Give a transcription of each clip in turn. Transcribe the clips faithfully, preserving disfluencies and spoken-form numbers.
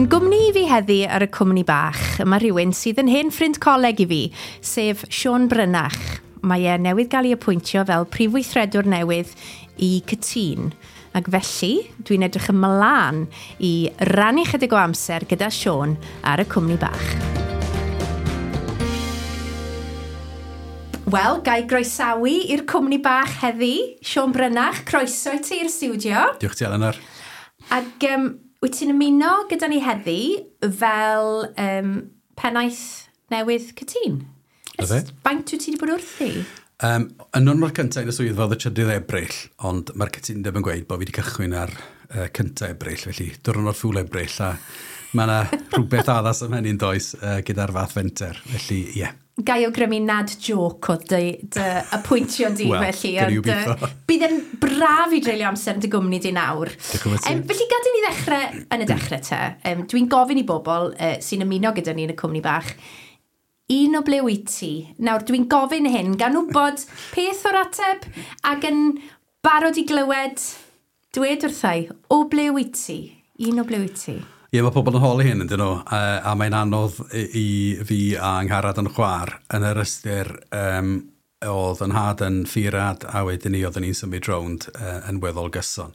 Yn gwmni i fi heddi ar y cwmni bach, mae rhywun sydd yn hen ffrind coleg i fi, sef Siôn Brynach. Mae e newydd gael ei apwyntio fel prif weithredwr newydd i Cytûn. Ac felly, dwi'n edrych ymlaen i rannu chydig o amser gyda Siôn ar y cwmni bach. Wel, ga i groesawu i'r cwmni bach heddi, Siôn Brynach, croeso i ti i'r stiwdio. Diolch ti, Eleanor. Ac um, wyt ti'n ymuno gyda ni heddi fel um, pennaeth newydd Cytûn? Na fe. Faint wyt ti wedi bod wrthi? Um, y niwrnod cyntaf yn y swyddfa oedd y trydydd Ebrill, ond mae'r cytundeb yn gweud bod fi wedi cychwyn ar uh, cyntaf Ebrill, felly diwrnod ffwl Ebrill, a mae yna rhywbeth addas am hynny'n does uh, gyda'r fath fenter, felly ie. Yeah. Ga i awgrymu nad joc o dy, dy apwyntio di, Wel, felly. gawn ni ond, yy, obeithio. Bydd yn braf i dreulio amser yn dy gwmni di nawr. Diolch yn fawr ti. Um, felly gad i ni ddechrau yn y dechrau te. Um, dwi'n gofyn i bobl uh, sy'n ymuno gyda ni yn y cwmni bach, un o ble wyt ti? Nawr, dwi'n gofyn hyn gan wybod peth o'r ateb ac yn barod i glywed, dwed wrthai, o ble wyt ti? Un o ble wyt ti? Ie, mae pobl yn holi hyn, yndyn nhw, a, a mae'n anodd i, i fi a Angharad yn chwar yn yr ystyr um, oedd yn nhad yn ffeirad a wedyn ni oedden ni'n symud rownd uh, yn weddol gyson.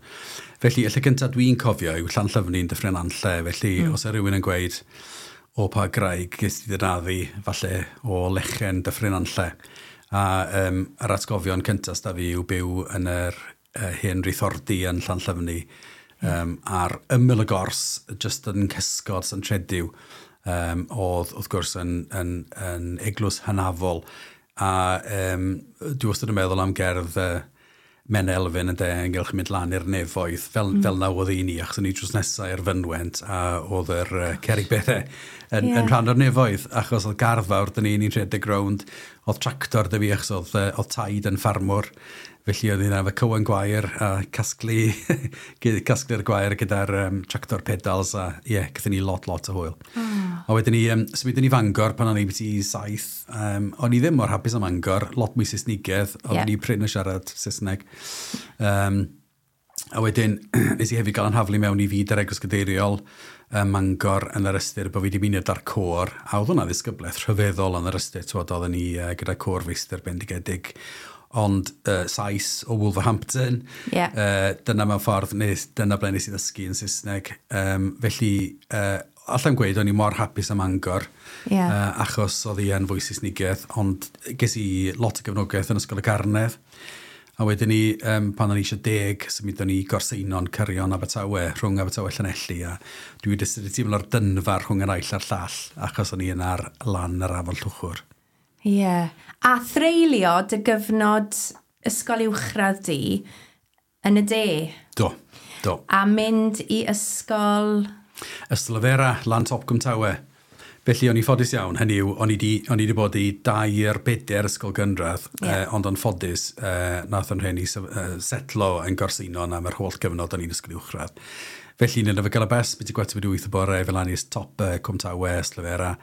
Felly, y lle cyntaf dwi'n cofio yw Llanllyfni'n Dyffryn Nantlle, felly mm. os yw rhywun yn gweud o pa graig ges ti dy naddu, falle o lechen Dyffryn Nantlle. A um, yr atgofion cyntaf s'da fi yw byw yn yr uh, hen rithordi yn Llanllyfni, um, ar ymyl y gors, just yn cysgod St Tredyw, um, oedd wrth gwrs yn, yn, yn eglwys hynafol. A um, dwi wastad yn meddwl am gerdd uh, Men Elfyn yn de, ynghylch mynd lan i'r nefoedd, fel, mm. fel na oedd i ni, achos o'n i drws nesaf i'r fynwent, a oedd yr uh, cerrig bethau yn, Ie. yn rhan o'r nefoedd, achos oedd gardd fawr, dyn ni, ni'n rhedeg rownd, oedd tractor 'da fi, achos oedd, uh, oedd taid yn ffarmwr, felly oedd hi'n efo cywen gwair a casglu, casglu'r gwair gyda'r um, tractor pedals, a ie, yeah, gathon ni lot, lot o hwyl. Oh. A wedyn ni, um, symudon ni Fangor pan o'n i biti saith, um, o'n i ddim mor hapus am Mangor, lot mwy Saesnigedd, oedden Ie. ni prin yn siarad Saesneg. Um, a wedyn, nes i hefyd gael yn haflu mewn i fyd yr Eglwys Gadeiriol ym Mangor yn yr ystyr bod fi wedi mynd ar côr, a oedd hwnna ddisgyblaeth rhyfeddol yn yr ystyr, t'wod, oedden ni uh, gyda côr feistr bendigedig, ond uh, Sais o Wolverhampton, Ie. uh, dyna mewn ffordd, nes, dyna ble nes i ddysgu yn Saesneg. Um, felly, uh, allai'm gweud o'n i mor hapus am Mangor, Ie. uh, achos oedd hi yn fwy Saesnigedd, ond ges i lot o gefnogaeth yn Ysgol y Carnedd. A wedyn ni, um, pan o'n i eisiau deg, symudon ni i Gorseinon, Cyrion, Abertawe, rhwng Abertawe Llanelli, a dwi wedi wedi teimlo'r dynfar rhwng y naill a'r llall, achos o'n i yn ar lan yr afon Llwchwr. Ie. Yeah. A threulio dy gyfnod ysgol uwchradd di yn y de. Do, do. A mynd i ysgol... Ystalyfera, lan top Cwmtawe. Felly o'n i ffodus iawn, hynny yw, o'n i di, o'n i di bod i dair bedair ysgol gynradd, Ie. yeah. eh, ond o'n ffodus, eh, nath o'n rhieni sef- eh, setlo yn Gorseinon am yr holl gyfnod o'n i'n ysgol uwchradd. Felly, ni'n efo gael y bus, byti gwarter wedi wyth y bore, fel lan i'r top uh, Cwmtawe, Ystalyfera,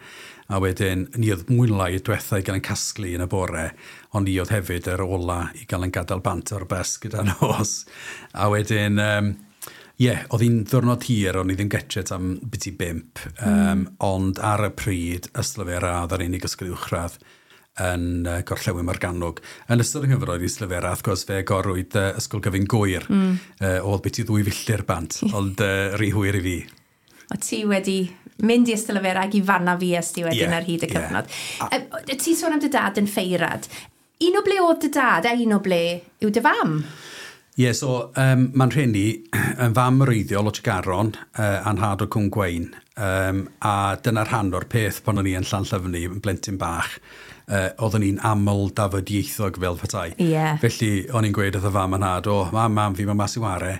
a wedyn, ni oedd mwy neu lai y diwetha i gael yn casglu yn y bore, ond ni oedd hefyd yr ola i gael yn gadael bant o'r bus gyda nos. A wedyn, um, ie, yeah, oedd hi'n ddiwrnod hir, o'n i ddim getre am biti bump, um, mm. ond ar y pryd, Ystalyfera oedd yr unig ysgol uwchradd yn uh, Gorllewin Morgannwg. Yn ystod yng nghyfnod i Ystalyfera, wrth gwrs, fe agorwyd uh, Ysgol Gyfun Gŵyr, mm. uh, oedd biti ddwy filltir bant, ond uh, rhy hwyr i fi. O ti wedi mynd i Ystalyfera ac i fanna fi ys ti wedyn Ie, ar hyd y ie. cyfnod. Yeah. Ti'n sôn am dy dad yn ffeirad. Un o ble oedd dy dad a un o ble yw dy fam? Ie, yeah, so um, mae'n rhieni yn fam wreiddiol o Tregaron, uh, a'n nhad o Cwm Gwein, um, a dyna'r rhan o'r peth pan o'n i yn Llanllyfni, yn blentyn bach, uh, oeddwn i'n aml dafodieithog fel petai. Ie. Felly, o'n i'n gweud wrth y fam a'n nhad, o, mam, mam, fi mae mas i ware.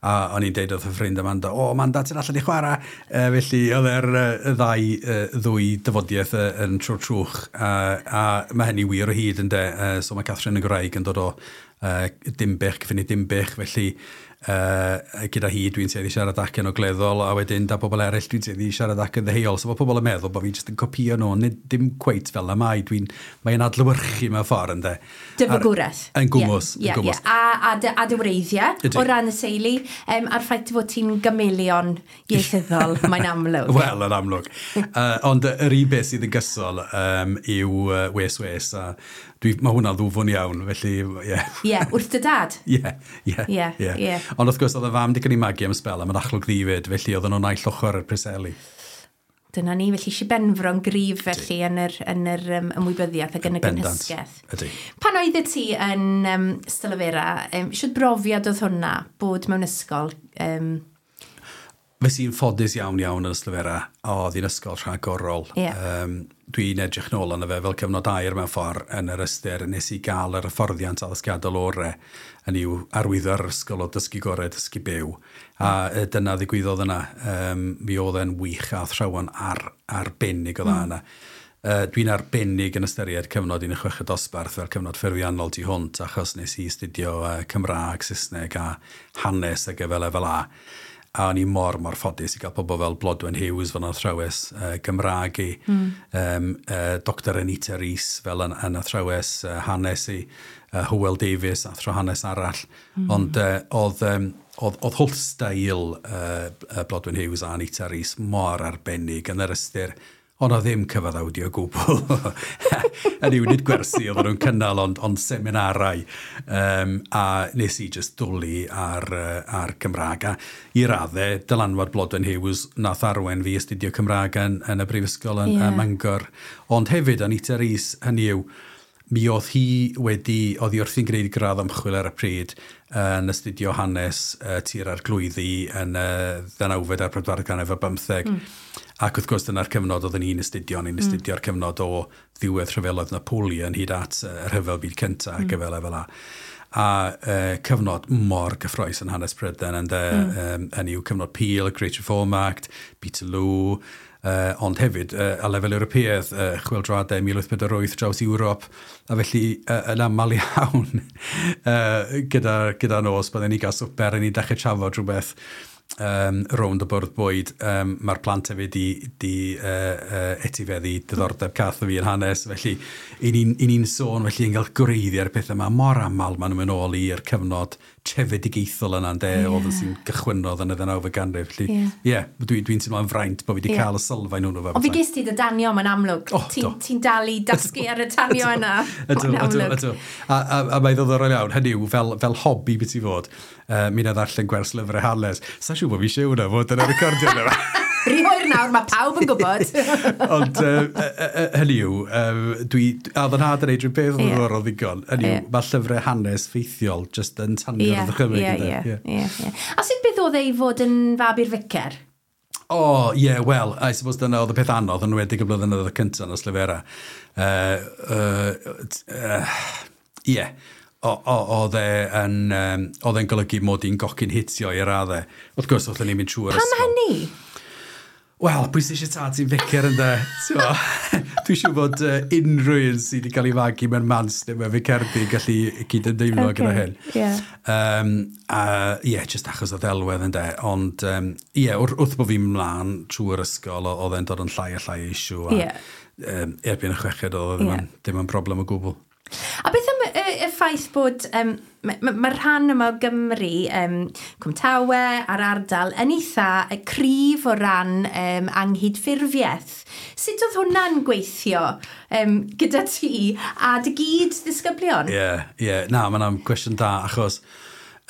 A o'n i'n deud wrth y ffrind Amanda, o, Amanda, ti'n allan i chwarae. Uh, felly, oedd e'r uh, y ddau, uh, ddwy dafodiaeth uh, yn trwy'r trwch. Uh, a mae hynny wir o hyd, ynde. Uh, so mae Catherine y Gwraig yn dod o uh, Dimbych, cyffini Dimbych. Felly, Uh, gyda hi dwi'n tueddu siarad acen ogleddol, a wedyn da pobl eraill dwi'n tueddu siarad acen ddeheuol. So mae pobl yn meddwl bod fi jyst yn copio nhw, nid dim cweit fel y mae. Dwi'n, mae'n adlewyrchu mewn ffordd, ynddo. Dy fagwraeth. Yn gwmws. Yeah, yeah, yeah. A, a, dy, a dy wreiddiau o ran y teulu, um, a'r ffaith fod ti'n gameleon ieithyddol, mae'n amlwg. Wel, yn amlwg. uh, ond yr un beth sydd yn gysol um, yw uh, wes wes, a dwi, mae hwnna'n ddwfwn iawn, felly, ie. Yeah. Ie, yeah, wrth dy dad? Ie, ie, ie. Ie. Ond wrth gwrs, oedd y fam di cael ei magu am sbel, a mae'n achlwg ddifyd, felly oedden nhw'n naill ochr yr Preseli. Dyna ni, felly Sir Benfro'n gryf felly yn yr, yn yr um, ymwybyddiaeth ac yn y gynhysgaeth. Ydy. Pan oeddet ti yn um, Ystalyfera, um, siwt brofiad oedd hwnna bod mewn ysgol? Um... Fes i'n ffodus iawn iawn yn Ystalyfera, oedd hi'n ysgol rhagorol. Yeah. Um, dwi'n edrych nôl arno fe fel cyfnod aur mewn ffordd yn yr ystyr nes i gael yr hyfforddiant addysgiadol orau yn i'w arwyddo ar yr ysgol o dysgu gorau, dysgu byw. A dyna ddigwyddodd yna. Um, mi oedd e'n wych a athrawon ar, arbennig o dda mm. yna. Uh, dwi'n arbennig yn ystyried cyfnod un chweched dosbarth fel cyfnod ffurfiannol tu hwnt, achos nes i astudio uh, Cymraeg, Saesneg a hanes ac efo lefel A. A o'n i mor, mor ffodus i gael pobl fel Blodwen Hughes fel yn athrawes uh, Gymraeg i, mm. um, uh, Doctor Anita Rees fel yn, yn athrawes uh, hanes i, uh, Hywel Davies, athro hanes arall. Mm. Ond uh, oedd, um, oedd, oedd holl steil uh, Blodwen Hughes a Anita Rees mor arbennig yn yr ystyr, ond oedd ddim cyfaddawdi o gwbl. Yn yw, nid gwersi oedden nhw'n cynnal, ond, ond seminarau. Um, a nes i just dwlu ar, ar Cymraeg. A i raddau, dylanwad Blodwen Hughes nath arwain fi astudio Cymraeg yn, yn y brifysgol yn, yeah. ym Mangor. Ond hefyd, Anita Rees, hynny yw, mi oedd hi wedi, oedd hi wrthi'n gwneud gradd ymchwil ar y pryd yn astudio hanes uh, tir arglwyddi yn y ddeunawfed a'r pedwaredd ganrif ar bymtheg. Mm. Ac wrth gwrs dyna'r cyfnod oedden ni'n astudio, ni'n astudio'r cyfnod o ddiwedd rhyfeloedd Napoleon hyd at y rhyfel byd cyntaf ac mm. efo lefel A. A uh, cyfnod mor gyffrous yn hanes Prydain, ynde, mm. um, yn yw cyfnod Peel, Great Reform Act, Peterloo, Uh, ond hefyd, uh, a lefel Ewropeaidd, uh, chwyldroadau mil wyth pedwar wyth draws Ewrop, a felly uh, yn aml iawn uh, gyda, gyda nos, byddwn ni gael swper, a ni'n dechrau trafod rhywbeth um, rownd y bwrdd bwyd. Um, Mae'r plant hefyd di, di uh, uh, etifeddu diddordeb cath o fi yn hanes, felly i ni'n ni'n sôn, felly yn cael gwreiddiau'r pethau yma mor aml maen nhw'n mynd ôl i'r cyfnod trefedigaethol yna, ynde, yeah. oedd yn sy'n gychwynnodd yn y ddeunawfed ganrif. Felly, ie, yeah, dwi'n dwi teimlo'n fraint bod fi wedi Ie. cael y sylfaen hwnnw fel Ond fi ges ti dy danio, mae'n amlwg. O, Ti'n do. ti dal i dasgu ar y tanio yna. Ydw, Mae'n ydw, amlwg. ydw. A, a, a mae'n ddiddorol iawn, hynny yw, fel, fel hobi beth i fod, uh, mi na ddarllen gwers lyfrau hanes. Sa'n siŵr bod fi eisiau hwnna fod yn y recordio yna. Rhy hwyr nawr, mae pawb yn gwybod. Ond uh, uh, uh, hynny yw, um, dwi, a oedd yn nhad yn neud rhyw beth Ie. ddiddorol ddigon. Hynny yw, Ie. mae llyfrau hanes ffeithiol just yn tanio'r Ie, ddychymyg. ie, ynde? ie, ie, ie. A sut beth oedd e i fod yn fab i'r ficer? O, ie, yeah, wel, I suppose dyna oedd y peth anodd yn enwedig y blynyddoedd y cyntaf yn Ystalyfera. Ie. Uh, uh, Oedd e yn, um, oedd e'n golygu mod i'n gocyn hitio i raddau. Wrth gwrs, oedden ni'n mynd trwy'r Pam ysgol. hynny? Wel, pwy sy'n eisiau tad sy'n ficer ynde? T'mo? Dwi'n siŵr bod uh, unrhyw un sydd wedi cael ei fagu mewn mans neu mewn ficerdi yn gallu cyd-ymdeimlo Ocê, gyda hyn. ie. Um, a ie, yeah, just achos o ddelwedd ynde. Ond ie, yeah, wrth, wrth bod fi'n mlaen trwy'r ysgol, o- oedd e'n dod yn llai a llai o issue. A, Ie. um, erbyn y chweched oedd o ddim, Ie. yn, ddim yn broblem o gwbl. A beth am y, y ffaith bod um, mae'r ma, ma rhan yma o Gymru, um, Cwmtawe a'r ardal, yn eitha y cryf o ran um, anghydffurfiaeth. Sut oedd hwnna'n gweithio um, gyda ti a dy gyd ddisgyblion? Ie, yeah, ie. Yeah. Na, mae'n gwestiwn da, achos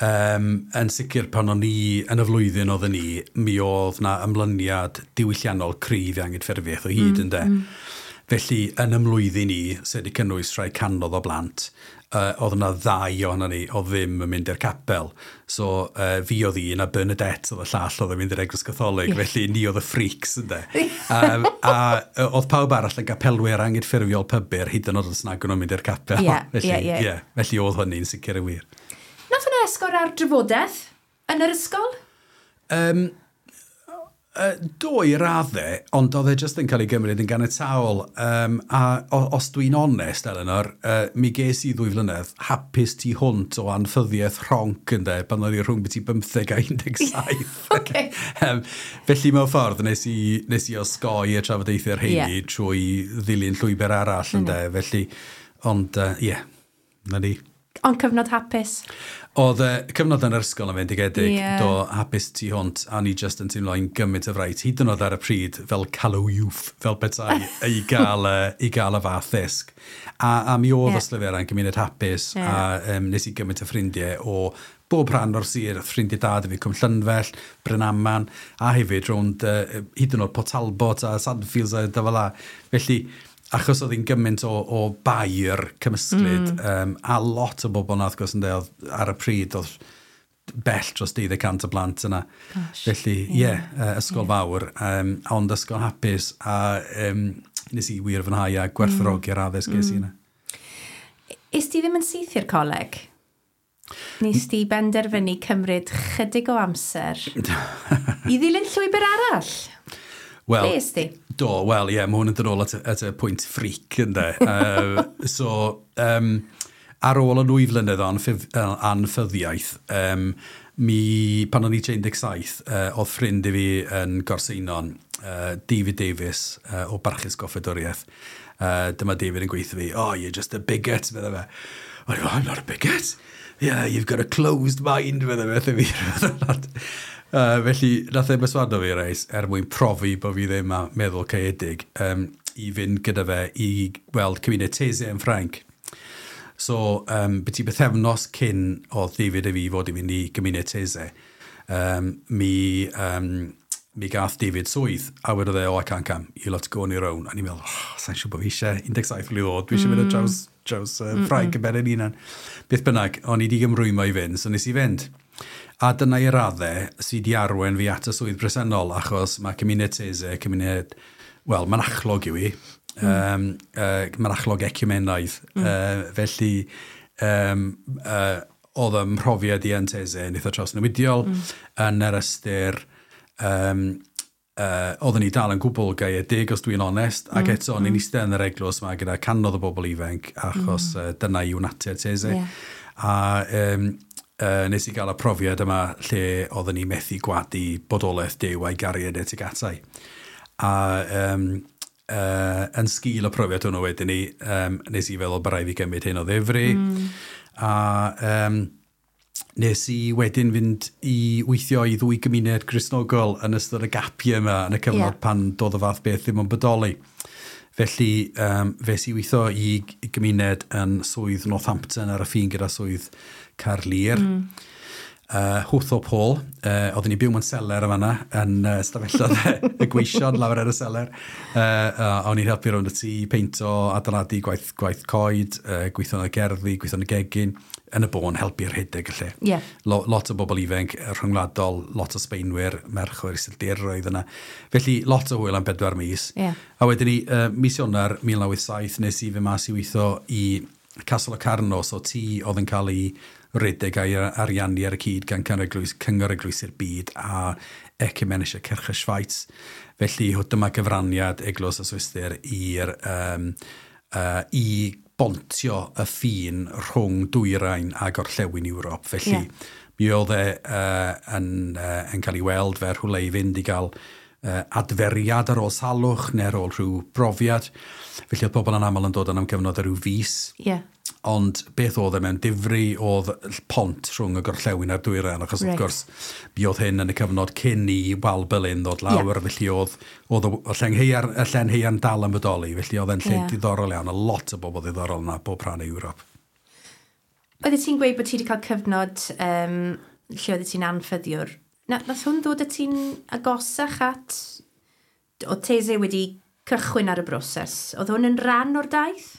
um, yn sicr pan o'n i yn y flwyddyn oedden ni, mi oedd na ymlyniad diwylliannol cryf i anghydffurfiaeth o hyd, mm, ynde. Mm. Felly, yn ymlwyddyn ni, sydd wedi cynnwys rhai canodd o blant, uh, oedd yna ddau ohono ni oedd ddim yn mynd i'r capel. So, uh, fi oedd un a Bernadette oedd y llall oedd yn mynd i'r Eglwys Gatholig, Ie. felly ni oedd y freaks, ynde. um, a yy, oedd pawb arall yn gapelwyr anghydffurfiol pybyr, hyd yn oed os nag o'n nhw'n mynd i'r capel. Ie, felly, ie, ie. ie, felly oedd hynny'n sicr yn wir. Nath hwnna esgor ar drafodaeth yn yr ysgol? Um, Uh, do i raddau, ond oedd e jyst yn cael ei gymryd yn ganiataol. Um, a o, os dwi'n onest, Eleanor, uh, mi ges i ddwy flynedd hapus tu hwnt o anffyddiaeth rhonc ynde, pan oedd i rhwng byti bymtheg a un deg saith. Okay. um, felly mewn ffordd, nes i, nes i osgoi y trafodaethau'r rheini yeah. trwy ddilyn llwybr arall ynde. Mm. Felly, ond ie, uh, yeah, na ni. Ond cyfnod hapus? Oedd y cyfnod yn yr ysgol yn fendigedig, yeah. do, hapus tu hwnt, a ni just yn teimlo i'n gymaint o fraint, hyd yn oed ar y pryd, fel callow youth, fel petai, i gael, i gael y fath ddysg. A, a mi oedd yeah. Ystalyfera yn gymuned hapus, yeah. a um, nes i gymaint o ffrindiau o bob rhan o'r sir, ffrindiau da fi, Cwm Llynfell, Brynaman, a hefyd rownd uh, hyd yn oed Port Talbot a Sandfields a dy fel la. Felly, achos oedd hi'n gymaint o, o bair cymysglyd, mm. um, a lot o bobl na, wrth gwrs, yn oedd ar y pryd, oedd bell dros deuddeg cant o blant yna. Gosh, Felly, ie, yeah, yeah, ysgol yeah. fawr, um, ond ysgol hapus, a um, nes i wir fwynhau a gwerthfawrogi'r mm. addysg ges i yna. Is ti ddim yn syth i'r coleg? Nes ti benderfynu cymryd chydig o amser i ddilyn llwybr arall? Wel, Be di? Do, wel, ie, yeah, mae hwn yn dod ôl at, at y pwynt freak, ynde. uh, so, um, ar ôl y nwy flynedd o anffyddiaeth, um, mi, pan o'n i un deg saith, uh, oedd ffrind i fi yn Gorseinon, uh, David Davies, uh, o Barchus Goffedwriaeth. Uh, dyma David yn gweithio fi, "Oh, you're just a bigot," medde fe. O'n i, "I'm not a bigot." "Yeah, you've got a closed mind," medde fe, fi. Uh, felly, nath e berswadio fi reis, er mwyn profi bod fi ddim a meddwl caeedig, um, i fynd gyda fe i weld cymuned Taizé yn Ffrainc. So, um, byti bythefnos cyn oedd David a fi fod i fynd i gymuned Taizé, um, mi, um, mi gath David swydd, a wedodd e, "Oh, I can't come, you'll have to go on your own." A ni'n meddwl, "Oh, sa'n siŵr bod fi eisiau un deg saith mlwydd oed, dwi eisiau mynd ar draws, draws uh, Ffrainc mm -mm. yn ben yn hunan." Beth bynnag, o'n i wedi ymrwymo i fynd, so nes i fynd. A dyna i raddau sydd wedi arwain fi at y swydd bresennol, achos mae cymuned Taizé, cymuned, wel, mynachlog yw i, mm. um, uh, mynachlog ecumenaidd. Mm. Uh, felly, um, uh, oedd ym mhrofiad i yn Taizé yn eitha trawsnewidiol, mm. yn yr ystyr, um, uh, oedden ni dal yn gwbl gaeedig, os dwi'n onest, ac mm. eto, mm. ni'n eistedd yn yr eglwys yma gyda canoedd o bobl ifanc, achos mm. uh, dyna yw natur Taizé. Yeah. A um, uh, nes i gael y profiad yma lle oedden ni methu gwadu bodolaeth Duw a'i gariad e tuag atai. A um, uh, yn sgil y profiad hwnnw wedyn ni, um, nes i feddwl bod rhaid fi gymryd hyn o ddifri. Mm. A um, nes i wedyn fynd i weithio i ddwy gymuned Gristnogol yn ystod y gapiau yma yn y cyfnod Ie. yeah. pan doedd y fath beth ddim yn bodoli. Felly, um, fes i weithio i i gymuned yn swydd Northampton ar y ffin gyda swydd Caerlŷr. Mm. Uh, Hwtho Paul, uh, oedden ni byw mewn seler yma yn uh, stafelloedd y gweision lawr ar y seler. Uh, uh, o'n i'n helpu rownd y tŷ, peinto, adeiladu gwaith, gwaith coed, uh, gweithio yn y gerddi, gweithio yn y gegin, yn y bôn helpu rhedeg y lle. Ie. Lo, lot o bobl ifanc yy, rhyngwladol, lot o Sbeinwyr, merch o'r Iseldiroedd yna. Felly, lot o hwyl am bedwar mis. Ie. A wedyn ni, uh, mis Ionawr mil naw wyth saith, nes i fy mas i weithio i Castle Locarno, so tŷ oedd yn cael ei redeg a'i ariannu ar y cyd gan Cyngor Eglwys, Cyngor Eglwysi'r Byd a Ökumenische Kirche Schweiz. Felly, dyma gyfraniad Eglwys y Swistir i'r um, uh, i bontio y ffin rhwng dwyrain a gorllewin Ewrop. Felly, Ie. mi oedd e uh, yn, uh, yn cael ei weld fel rhywle i fynd i gael uh, adferiad ar ôl salwch neu ar ôl rhyw brofiad. Felly oedd pobl yn aml yn dod yn am gyfnod o ryw fis. Ie. Ond beth oedd e mewn difri oedd pont rhwng y gorllewin a'r dwyrain, achos Reit. wrth gwrs mi oedd hyn yn y cyfnod cyn i Wal Berlin ddod lawr, Ie. felly oedd, oedd y y lleng haearn, y llen haearn dal yn bodoli, felly oedd e'n lle Ie. diddorol iawn, a lot o bobl ddiddorol yna, bob rhan o Ewrop. Oeddet ti'n gweud bod ti wedi cael cyfnod um, lle oeddet ti'n anffyddiwr. Na, nath hwn ddod â ti'n agosach at... Oedd Taizé wedi cychwyn ar y broses. Oedd hwn yn rhan o'r daith?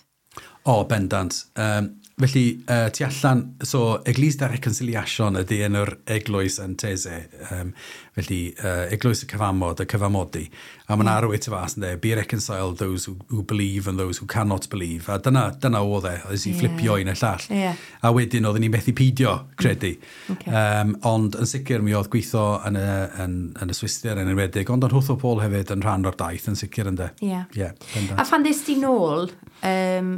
O, bendant. Um, Felly, uh, tu allan, so Église de Réconciliation ydy enw'r eglwys yn Taizé. Um, felly, uh, eglwys y cyfamod, y cyfamodi. A mae'n mm. arwydd tu fas yn dweud, "Be reconciled those who, who believe and those who cannot believe." A dyna, dyna oedd e, oedd i yeah. fflipio un y llall. Yeah. A wedyn oedden ni'n methu peidio credu. Okay. Um, ond yn sicr mi oedd gweithio yn y, yn, yn y Swistir yn enwedig, ond yn Hwth o Paul hefyd yn rhan o'r daith yn sicr ynddo. Ie. Yeah. Yeah, a phan ddest ti nôl, um,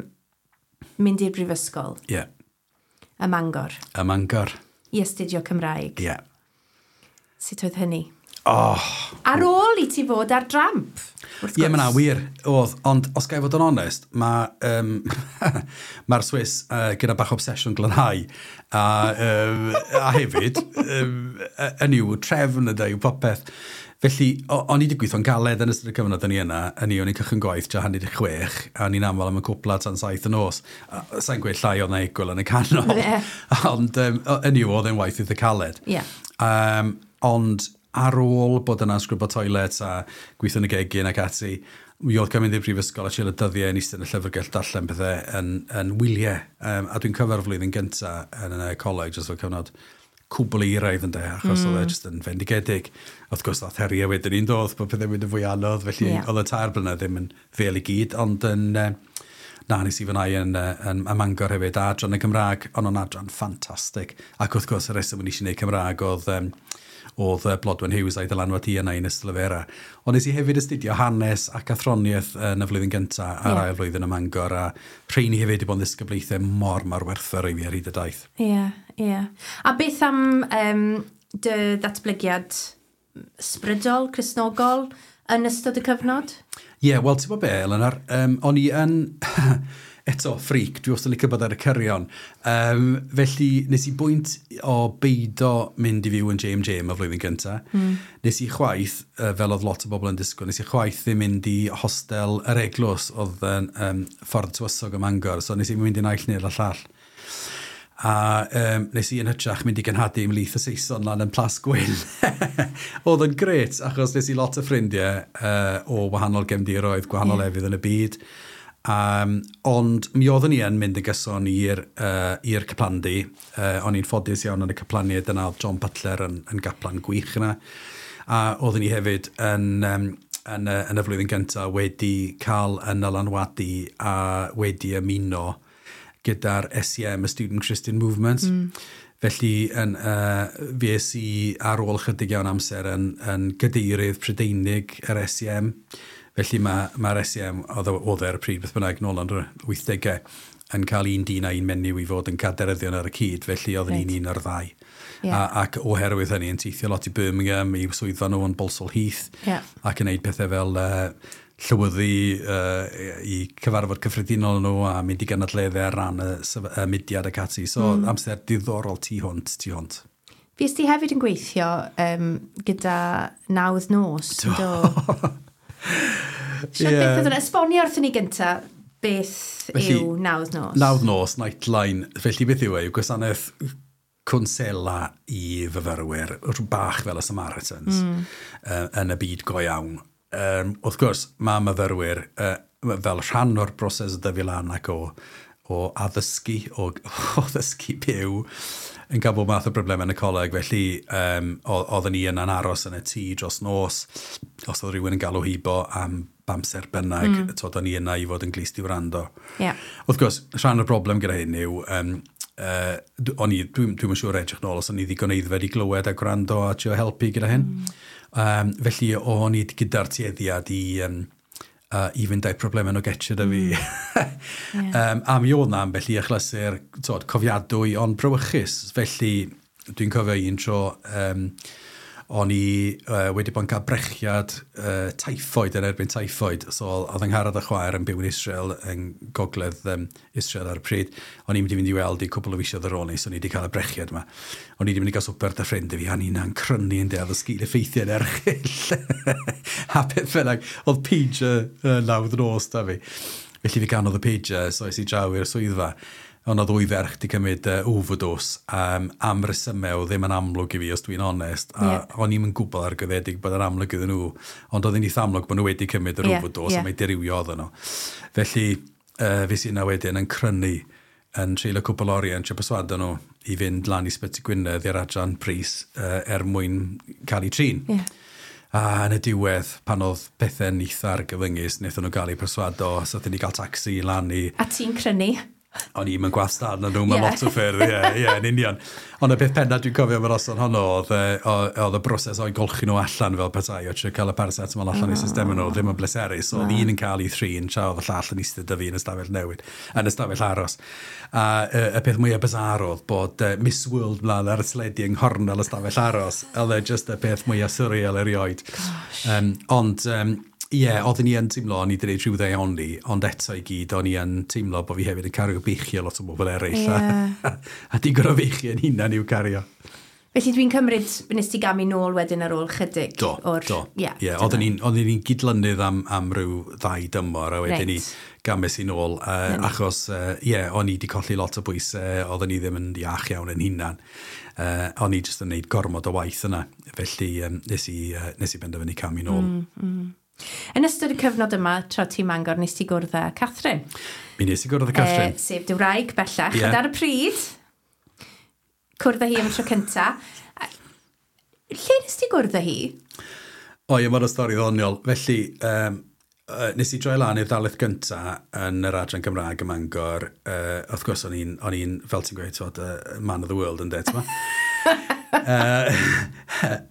mynd i'r brifysgol? Ie. Yeah. Ym Mangor? Ym Mangor. I astudio Cymraeg? Ie. Yeah. Sut oedd hynny? Oh. Ar ôl i ti fod ar dramp, wrth gwrs. Ie, yeah, mae wir, oedd. Ond os ga i fod yn onest, mae'r um, mae'r Swiss uh, gyda bach obsesiwn glanhau. A, um, a hefyd, um, yn yw trefn ydy yw popeth. Felly, o'n i wedi gweithio'n galed yn ystod y cyfnod o'n i yna, yn i, o'n i'n cychwyn gwaith tua hanner chwech, a o'n i'n aml am y cwpla tan saith y nos. Sa'n gweud llai oedd na egwyl yn y canol. Yeah. Ond um, yn i'w, oedd e'n waith eitha caled. Yeah. Um, ond ar ôl bod yna'n sgrwbo toilet a gweithio yn y gegin ac ati, mi oedd cael mynd i'r brifysgol a treulio dyddiau yn eistedd yn y llyfrgell darllen pethau yn, yn wyliau. Um, a dwi'n cyfer flwyddyn gyntaf yn y coleg, jyst fel cyfnod cwbl euraidd ynde, achos mm. oedd e jyst yn fendigedig. Wrth gwrs, ddath heriau wedyn ni'n dod, bod pethau'n mynd yn fwy anodd, felly yeah. oedd y tair blynedd ddim yn fel i gyd, ond yn, na, nes i fwynhau yn, yn, yn Mangor hefyd, a adran y Gymraeg, ond o'n adran ffantastig. Ac wrth gwrs, y reswm o'n i eisiau gwneud Cymraeg oedd, um, oedd Blodwen Hughes a'i dylanwad hi yna i'n ystod. Ond nes i hefyd astudio hanes ac athroniaeth yn y flwyddyn gyntaf a'r yeah. ail flwyddyn ym Mangor, a rheini hefyd i bod yn ddisgyblaethau mor, mor werthfawr i fi ar hyd y daith. Ie, yeah, ie. Yeah. A beth am um, dy ddatblygiad ysbrydol, Cristnogol, yn ystod y cyfnod? Ie, yeah, wel, ti'n bod be, Eleanor, um, o'n i yn... eto, freak, dwi wastad yn licio bod ar y cyrion. Um, felly, nes i bwynt o beido mynd i fyw yn J M J am y flwyddyn gyntaf. Mm. Nes i chwaith, uh, fel oedd lot o bobl yn disgwyl, nes i chwaith ddim mynd i hostel yr eglwys oedd yn um, Ffordd Tywysog ym Mangor, so nes i mynd i naill neu'r llall. A um, nes i yn hytrach mynd i genhadu ymhlith y Saeson lan yn Plas Gwyn. Oedd yn gret, achos nes i lot o ffrindiau uh, o wahanol gefndiroedd, gwahanol Ie. yeah. lefydd yn y byd. Um, ond mi oeddwn i yn mynd yn gyson i'r uh, i'r caplandy. Uh, o'n i'n ffodus iawn yn y caplaniaid yna, oedd John Butler yn, yn gaplan gwych yna. A oeddwn i hefyd yn, um, yn, y, yn y flwyddyn gyntaf wedi cael yn dylanwadu a wedi ymuno gyda'r S C M, y Student Christian Movement. Mm. Felly, yn, uh, fi es i ar ôl chydig iawn amser yn, yn gadeirydd Prydeinig yr S C M. Felly mae'r ma S C M, oedd oedd e ar y pryd, beth bynnag, nôl yn yr wythdegau, yn cael un dyn a un menyw i fod yn cadeiryddion ar y cyd, felly oeddwn Reit. i'n un o'r ddau. Ie. A, ac oherwydd hynny yn teithio lot i Birmingham, i swyddfa nhw yn Balsall Heath, Ie. ac yn neud pethau fel uh, llywyddu uh, i cyfarfod cyffredinol nhw a mynd i gynadleddau ar ran y, sef- y mudiad ac ati. So mm. amser diddorol tu hwnt, tu hwnt. Fues ti hefyd yn gweithio um, gyda Nawdd Nos, do? Siarad Ie. beth oedd hwnna? Esbonio wrthyn ni gynta beth Felly, yw Nawdd Nos. Nawdd Nos, Nightline. Felly beth yw e? Yw gwasanaeth cwnsela i fyfyrwyr, rhyw bach fel y Samaritans, mm. uh, yn y byd go iawn. Um, wrth gwrs, mae myfyrwyr uh, fel rhan o'r broses o dyfu lan ac o, o addysgu, o, o ddysgu byw, yn cael bob math o broblemau yn y coleg. Felly, um, oedden ni yna'n aros yn y tŷ dros nos, os oedd rhywun yn galw hibo am amser bynnag, mm. twod, o'n i yna i fod yn glust i wrando. Ie. Wrth gwrs, rhan o'r broblem gyda hyn yw, um, uh, o'n i, dwi'n dwi siŵr edrych nôl os o'n i ddigon aeddfed i glywed a gwrando a trio helpu gyda hyn. Mm. Um, felly, o'n i gyda'r tueddiad i, um, uh, i fynd â'i problemau nhw getio da fi. Mm. um, a mi oedd na ambell i achlysur twod, cofiadwy ond brawychus. Felly, dwi'n cofio un tro, um, o'n i uh, wedi bod yn cael brechiad uh, tyffoid yn erbyn tyffoid. So, oedd Angharad a chwaer yn byw yn Israel, yn gogledd um, Israel ar y pryd. O'n i'n mynd i fynd i weld i cwpl o fisoedd ar ôl ni, so o'n i wedi cael y brechiad yma. O'n i wedi mynd i gael swper 'da ffrind i fi, a ni'n crynu yn deall y sgil effeithiau'n erchyll. A beth bynnag, oedd pager uh, nawdd nos da fi. Felly fi ganodd y pager, so es i draw i'r swyddfa. Ond oedd ddwy ferch di cymryd uh, overdose um, am resymau oedd ddim yn amlwg i fi, os dwi'n onest. A Ie. o'n i'm yn gwybod argyhoeddedig bod yn amlwg iddyn nhw. Ond oedd hi'n eitha amlwg bod nhw wedi cymryd yr Ie, overdose ie. a mai dirywio oedden nhw. Felly, uh, fues i yna wedyn yn crynu yn treulio cwpl oriau yn trio perswadio nhw i fynd lan i Sbyty Gwynedd i'r adran brys uh, er mwyn cael eu trin. Yeah. A yn y diwedd, pan oedd pethau'n eitha argyfyngus, wnaethon nhw gael eu perswado, so ni gael taxi lan i. A ti'n crynu? O'n i'n gwastad na nhw mewn yeah. lot o ffyrdd, ie, yeah, yeah, yn union. Ond y peth penna dwi'n cofio am yr noson honno oedd, oedd y broses o'i golchi nhw allan fel petai, o trio cael y paracetamol allan oh. i system nhw, ddim yn bleserus. So, oedd un yn cael ei thrin, tra oedd y llall yn eistedd 'da fi yn y stafell newid, yn y stafell aros. A y, y peth mwyaf bizarre oedd bod uh, Miss World mlaen ar y teledu yng nghornel y stafell aros. Oedd e just y peth mwyaf surreal erioed. Um, ond, um, Ie, yeah, oeddwn i yn teimlo o'n i wedi gwneud rhyw ddaioni, ond eto i gyd, o'n i yn teimlo bod fi hefyd yn cario beichio lot o bobl eraill. Yeah. A, a digon o feichio yn hunan i'w cario. Felly dwi'n cymryd nes ti gamu nôl wedyn ar ôl chydig do, o'r. Do, Yeah, yeah, oeddwn i'n gydlynydd am, am ryw ddau dymor, a wedyn ni Reit. games i nôl, uh, achos, ie, uh, yeah, o'n i wedi colli lot o bwysau, oeddwn i ddim yn iach iawn yn hunan. Uh, o'n i jyst yn neud gormod o waith yna, felly um, nes, i, uh, nes i benderfynu camu nôl. Mm, mm. Yn ystod y cyfnod yma, tra ti'n Mangor, nes ti gwrdd â Catherine. Mi nes i gwrdd â Catherine. Uh, sef dy wraig bellach. Ie. Ond ar y pryd, cwrdd â hi am y tro cynta. A- Lle nes ti gwrdd â hi? O ie, mae'n stori ddoniol. Felly, um, uh, nes i droi lan i'r ddarlith gynta yn yr adran Gymraeg ym Mangor. Uh, wrth gwrs, o'n i'n, o'n i'n, fel ti'n gweud, twod, uh, man of the world yn det, ma. uh,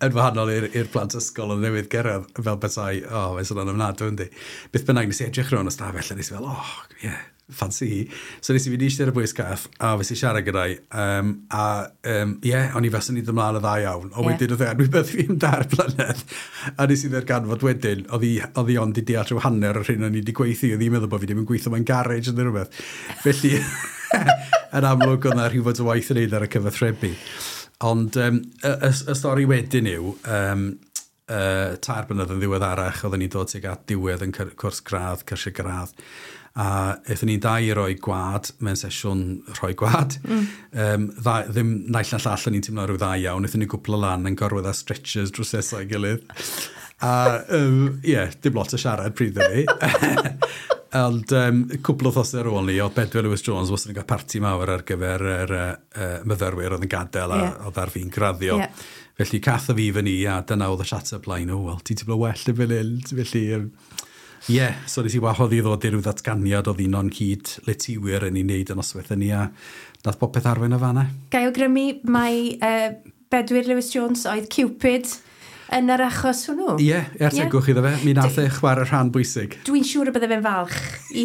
yn wahanol i'r i'r plant ysgol yn newydd gyrraedd fel petai, o, oh, mae'n sôn ofnadwy, yndi. Beth bynnag, nes i edrych rownd y stafell a nes i fel, oh, yeah, fancy hi. So nes i fynd i eistedd ar y bwys cath, a fes i siarad gyda'i, um, a um, yeah, o'n i fel yn i ymlaen y dda iawn. Ond Ie. wedyn oedd e anwybyddu fi am dair blynedd. A nes i ddarganfod wedyn, oedd hi, oedd hi ond i deall rhyw hanner o'r hyn o'n i wedi gweithio, oedd hi'n meddwl bod fi ddim yn gweithio mewn garej neu rhywbeth. Felly, yn amlwg oedd na rhywfaint o waith yn neud ar y cyfathrebu. Ond um, y, y, y stori wedyn yw, um, uh, tair blynedd yn ddiweddarach, oedden ni'n dod tuag at diwedd yn cyr- cwrs gradd, cyrsiau gradd, a aethon ni'n dau i roi gwad mewn sesiwn rhoi gwad. Mm. Um, dda, ddim naill na llall o'n i'n teimlo rhyw dda iawn, aethon ni gwpl o lan yn gorwedd ar stretchers drws nesaf ei gilydd. A, um, ie, yeah, dim lot o siarad pryd hynny. Ond um, cwpl o wythnosau ar ôl ni, oedd Bedwyr Lewis Jones wastad yn cael parti mawr ar gyfer yr uh, uh, myfyrwyr oedd yn gadael a Ie. oedd ar fin graddio. Ie. Felly cath o fi fyny a dyna oedd y chat-up line, o, wel, ti'n teimlo well yn fel hyn. Felly, um, ie, yeah, so nes i wahodd i ddod i ryw ddatganiad oedd un o'n cyd letiwyr yn ei wneud yn noswaith hynny a nath popeth arwain o fanna. Gai awgrymu mai uh, Bedwyr Lewis Jones oedd Cupid yn yr achos hwnnw? Ie, yeah, er tegwch iddo fe, mi nath e chwarae rhan bwysig. Dwi'n siŵr y bydde fe'n falch i,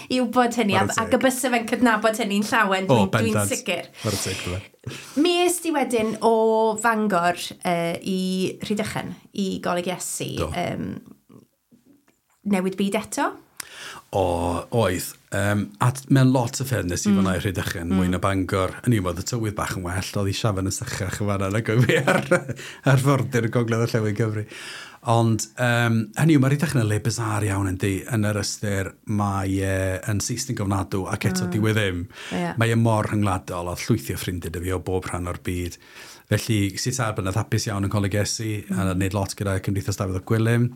i wybod hynny, a, Chwarae teg. ac y byse fe'n cydnabod hynny'n llawen, O, dwi'n dwi bendant. sicr. Chwarae teg iddo fe. Mi es di wedyn o Fangor uh, i Rhydychen, i Goleg Iesu. Do. Um, newid byd eto? O, oedd. Um, a t- mewn lot o ffyrdd nes i mm. fyna i Rhydychen, mm. mwy na Bangor. Yn i'w, oedd y tywydd bach yn well, oedd i siafan yn sychach yn fanna nag oedd fi ar, ar fordir y gogledd orllewin Cymru. Ond, um, hynny yw, mae Rhydychen yn le bizarre iawn yndi, yn yr ystyr mae e yn Saesneg ofnadw ac eto mm. dyw e ddim. Ie. Mae e mor rhyngwladol, oedd llwythi o ffrindiau 'da fi o bob rhan o'r byd. Felly, sut ar blynedd hapus iawn yn Coleg Iesu, mm. a wneud lot gyda Cymdeithas Dafydd ap Gwilym.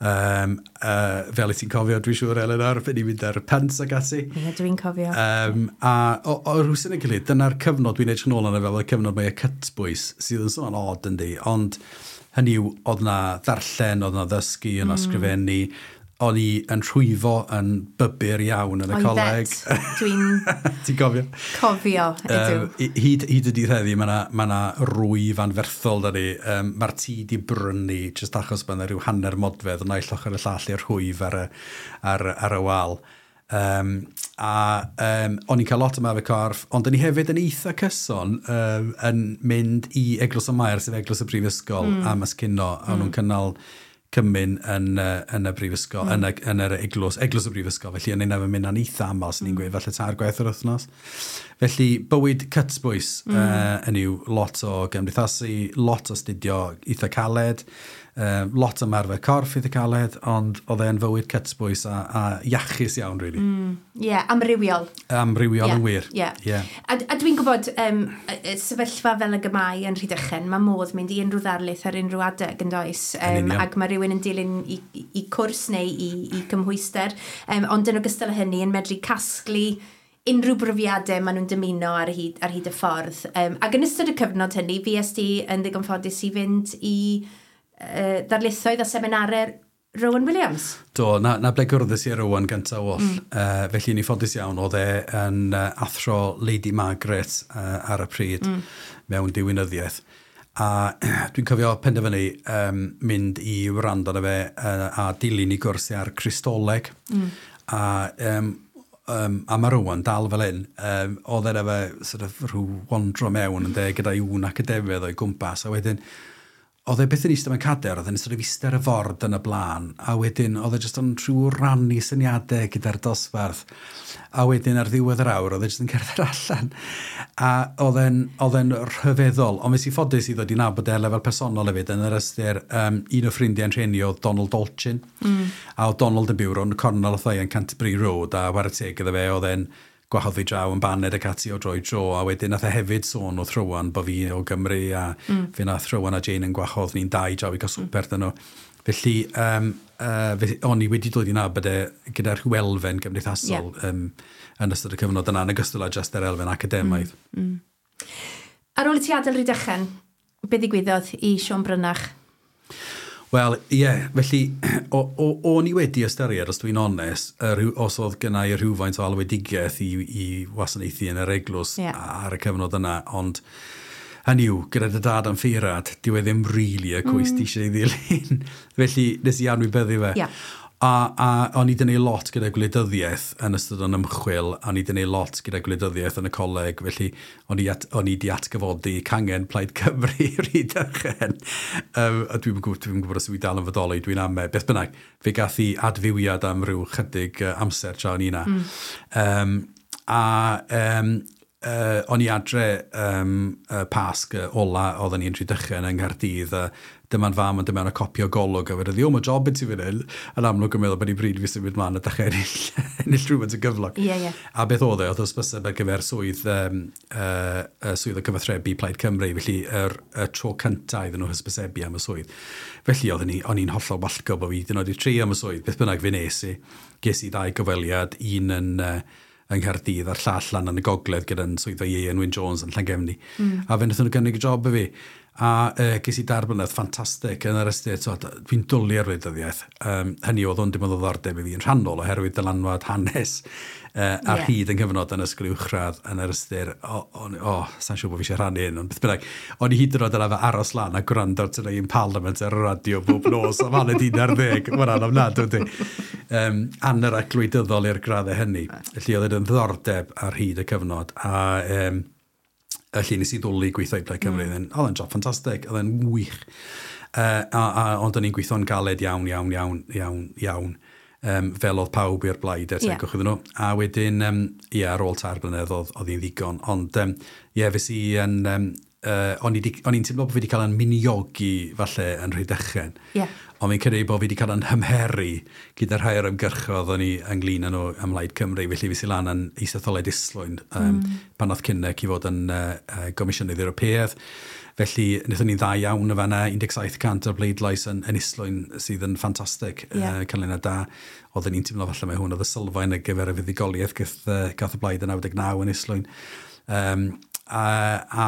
Um, uh, fel i ti'n cofio, dwi'n siŵr, Eleanor, fe ni'n mynd ar y pants ag ati. Ie, dwi'n cofio. Um, a o, o rhywsut yn gilydd, dyna'r cyfnod dwi'n edrych yn ôl arno fel y cyfnod mae y cytbwys, sydd yn sôn odd yndi, ond hynny yw, oedd na ddarllen, oedd na ddysgu, oedd na mm. sgrifennu, o'n i yn rhwyfo yn bybyr iawn yn y coleg. Oeddet, dwi'n Ti'n cofio? cofio, ydw. Um, hyd, hyd y dydd heddi, mae yna ma 'na rwyf anferthol da ni. Um, Mae'r tŷ di brynu, jyst achos bod yna rhyw hanner modfedd o naill ochr y llall i'r rhwyf ar y, ar, ar y wal. Um, a um, o'n i'n cael lot o ymarfer corff, ond o'n i hefyd yn eitha cyson um, yn mynd i Eglwys y Mair, sef Eglwys y Brifysgol, mm. am ysgino, a mm. nhw'n cynnal cymun yn, uh, yn y brifysgol, mm. yn, y, yn yr eglwys, eglwys y brifysgol, felly yn ein mynd yn eitha aml, sy'n ni'n gweud, falle tair gwaith yr wythnos. Felly, bywyd cytbwys mm. uh, yn yw lot o gymdeithasu, lot o astudio eitha caled, uh, lot o ymarfer corff eitha caled, ond oedd e'n fywyd cytbwys a, a iachus iawn, really. Ie, yeah, amrywiol. Amrywiol Ie, yn wir. Ie. Yeah. A, a dwi'n gwybod, um, y- y sefyllfa fel y gymau yn Rhydychen, mae modd mynd i unrhyw ddarlith ar unrhyw adeg yn does. Yn Um, union. ac mae rhywun yn dilyn i, i, i cwrs neu i, i cymhwyster. Um, ond yn ogystal â hynny, yn medru casglu unrhyw brofiadau maen nhw'n dymuno ar hyd, ar hyd y ffordd. Um, ac yn ystod y cyfnod hynny, fues di yn ddigon ffodus i fynd i uh, ddarlithoedd a seminarau Rowan Williams. Do, na, na ble gwrddys i Rowan gyntaf oll. Mm. Uh, felly ni ffodus iawn, oedd e yn uh, athro Lady Margaret uh, ar y pryd mm. mewn diwinyddiaeth. A dwi'n cofio penderfynu um, mynd i wrando arno fe uh, a dilyn i gwrs ar Cristoleg. Mm. A, um, um, a mae Rowan dal fel hyn, um, oedd e'n efo sort of rhyw wandro mewn yn de, gyda'i ŵn academaidd o'i gwmpas, a wedyn oedd e byth yn eistedd mewn cader, oedd e'n sort of eistedd ar y ford yn y blaen, a wedyn oedd e jyst yn rhyw rannu syniadau gyda'r dosbarth, a wedyn ar ddiwedd yr awr, oedd e jyst yn cerdded allan. A oedd e'n oedd e'n rhyfeddol, ond nes i ffodus i ddod i nabod e lefel personol hefyd, yn yr ystyr, um, un o ffrindiau'n rhieni oedd Donald Dolchin, mm. a oedd Donald yn byw rownd y cornel wrtha i yn Canterbury Road, a whare teg iddo fe, oedd e'n gwahodd fi draw yn baned ac ati o dro i dro, a wedyn nath e hefyd sôn wrth Rowan bod fi o Gymru, a mm. fe nath Rowan a Jane yn gwahodd ni'n dau draw i gael swper mm. nhw. Felly, um, uh, felly, o'n i wedi dod i nabod e gyda'r rhyw elfen gymdeithasol yeah. um, yn ystod y cyfnod yna, yn ogystal â just yr elfen academaidd. Mm. Mm. Ar ôl i ti adael Rhydychen, be ddigwyddodd i Siôn Brynach? Wel, ie, yeah, felly, o, o, o'n i wedi ystyried, os dwi'n onest, y rhyw, os oedd gynna i rhywfaint o alwedigaeth i, i wasanaethu yn yr eglwys Ie. ar y cyfnod yna, ond hynny yw, gyda dy dad yn ffeirad, dyw e ddim really y cwys mm. ti eisiau ei ddilyn. Felly, nes i anwybyddu fe. Ie. A, a o'n i wedi gwneud lot gyda gwleidyddiaeth yn ystod yn ymchwil, a o'n i wedi gwneud lot gyda gwleidyddiaeth yn y coleg, felly o'n i, at, o'n i wedi atgyfodi cangen Plaid Cymru Rhydychen. Um, a dwi'n gwybod, dwi'n gwybod os yw i dal yn fodoli, dwi'n ame. Beth bynnag, fe gath i adfywiad am ryw chydig uh, amser tra o'n i na. Mm. Um, a um, uh, o'n i adre um, uh, Pasg uh, ola oedden ni'n Rhydychen yng Nghaerdydd, a dyma'n fam yn dyma'n y copi o Golwg, a wedodd, o, mae job i ti fan hyn. Yn amlwg yn meddwl bod i bryd fi symud mlaen a dechrau ennill, ennill rhywfaint o gyflog. Ie, ie. A beth oedd e, oedd hysbyseb ar gyfer swydd, um, uh, uh, swydd o cyfathrebu Plaid Cymru, felly yr, y tro cyntaf iddyn nhw hysbysebu am y swydd. Felly oedden ni, o'n i'n hollol wallgo bod fi hyd yn oed i trio am y swydd, beth bynnag fe nes i. Ges i ddau gyfweliad, un yn, uh, yng Nghaerdydd a'r llall lan yn y gogledd gyda'n swyddfa Ieuan Wyn Jones yn Llangefni. Mm. A fe wnaethon nhw gynnig y job i fi. A uh, ges i dair blynedd ffantastig yn yr ystyr, so, dwi'n dwlu ar wleidyddiaeth. Um, hynny oedd o'n dim ond o ddiddordeb i fi yn rhannol oherwydd dylanwad hanes uh, ar Ie. hyd yn cyfnod yn ysgol uwchradd yn yr ystyr, o, o, o, sa'n siŵr bod fi eisiau rhannu hyn, ond beth bynnag, o'n i hyd yn oed yn arfer aros lan a gwrando ar Today in Parliament ar y radio bob nos am hanner un ar ddeg, mae'n ofnadwy, yndi. Um, anorak gwleidyddol i'r graddau hynny. Felly oedd yn ddiddordeb ar hyd y cyfnod, a um, felly nes i ddwlu gweithio i Plaid Cymru. Mm. Oedd e'n job ffantastig, oedd e'n wych. Uh, a, a, ond o'n i'n gweithio'n galed iawn, iawn, iawn, iawn, iawn. Um, fel oedd pawb i'r blaid er Ie. tegwch iddyn nhw. A wedyn, um, ie, ar ôl tair blynedd oedd, oedd hi'n ddigon. Ond, um, ie, fes i yn... Um, uh, o'n i di- o'n i'n teimlo bod fi wedi cael yn miniogi, falle, yn Rhydychen. Ie. Ond fi'n credu bod fi wedi cael yn hymheru gyda rhai o'r ymgyrchodd o'n i ynglyn â nhw ym Mhlaid Cymru, felly fi sy'n lan yn isetholiad Islwyn, um, mm. pan oedd Kinnock i fod yn uh, uh, Gomisiynydd Ewropeaidd. Felly, wnaethon ni'n dda iawn y fanna, un deg saith cant o'r bleidlais yn, yn Islwyn sydd yn ffantastig, Ie. uh, canlyniad da. Oedden ni'n teimlo falle mai hwn oedd y sylfaen ar gyfer y fuddugoliaeth gath, uh, gath y blaid yn naw deg naw yn Islwyn. Um, a, a,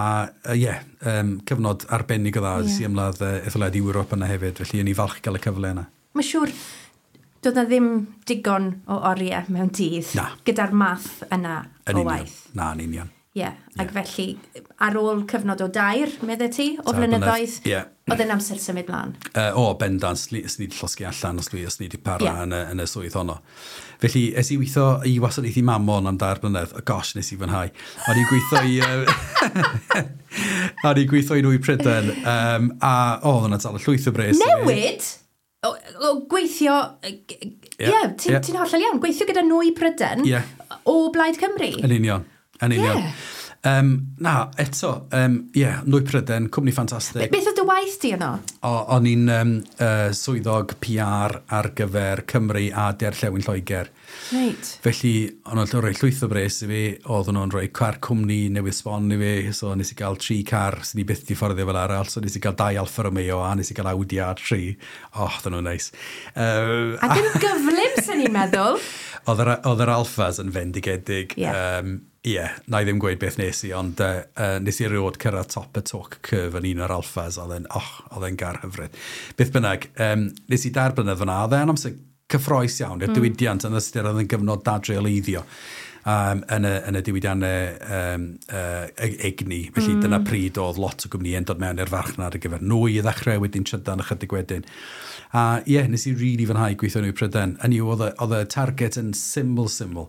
a ie, um, cyfnod arbennig o dda, Ie. yeah. i ymladd uh, etholiad Ewrop yna hefyd, felly o'n i falch gael y cyfle yna. Mae'n siŵr, doedd na ddim digon o oriau mewn dydd Na. gyda'r math yna Yn o union. waith. Na, yn union. Ie, yeah. Ac felly, ar ôl cyfnod o dair, medde ti, o Tair blynedd, flynyddoedd, ie. oedd yn amser symud mlaen. Uh, o, bendant, sni wedi llosgi allan os dwi, os ni wedi para Ie. yn, y, yn y swydd honno. Felly, es i weithio i wasanaethu Mamon am dair blynedd. O, gosh, nes i fwynhau. O'n i'n gweithio i... Uh, o'n i'n gweithio i Nwy Prydain. Um, a, o, oedd hwnna'n dal y llwyth o bres. i fi. Newid? O, o gweithio... Ie, Ie, yeah, ti'n ie. ti hollol iawn. Gweithio gyda Nwy Prydain Ie. o Blaid Cymru. Yn union, yn union. Ie. Um, na, eto, um, ie, Nwy Prydain, cwmni ffantastig. Beth oedd dy waith di yno? O, o'n i'n um, uh, swyddog P R ar gyfer Cymru a Derllewin Lloegr. Reit. Felly, o'n nhw'n rhoi llwyth o bres i fi, oedden nhw'n rhoi car cwmni newydd sbon i fi, so nes i gael tri car sy'n i byth di fforddio fel arall, so nes i gael dau Alfa Romeo a nes i gael Audi A tri. Oh, oedden nhw'n neis. Uh, Ac yn gyflym, sy'n ni'n meddwl. Oedd yr, oedd yr Alphas yn fendigedig. Yeah. Um, Ie, yeah, na i ddim gweud beth nes i, ond uh, uh, nes i erioed cyrraedd top y talk curve yn un o'r Alphas, oedd e'n, oh, oedd e'n gar hyfryd. Beth bynnag, um, nes i dair blynedd fyna, oedd e'n amser cyffrous iawn i'r mm. diwydiant yn ystyr oedd yn gyfnod dadreoleiddio um, yn, y, yn y diwydiannau um, uh, egni. Felly mm. dyna pryd oedd lot o gwmnïau'n dod mewn i'r farchnad ar gyfer nwy i ddechrau, wedyn trydan ychydig wedyn. A ie, yeah, nes i rili really fwynhau gweithio Nwy Prydain. Hynny yw, oedd y, oedd y target yn syml, syml.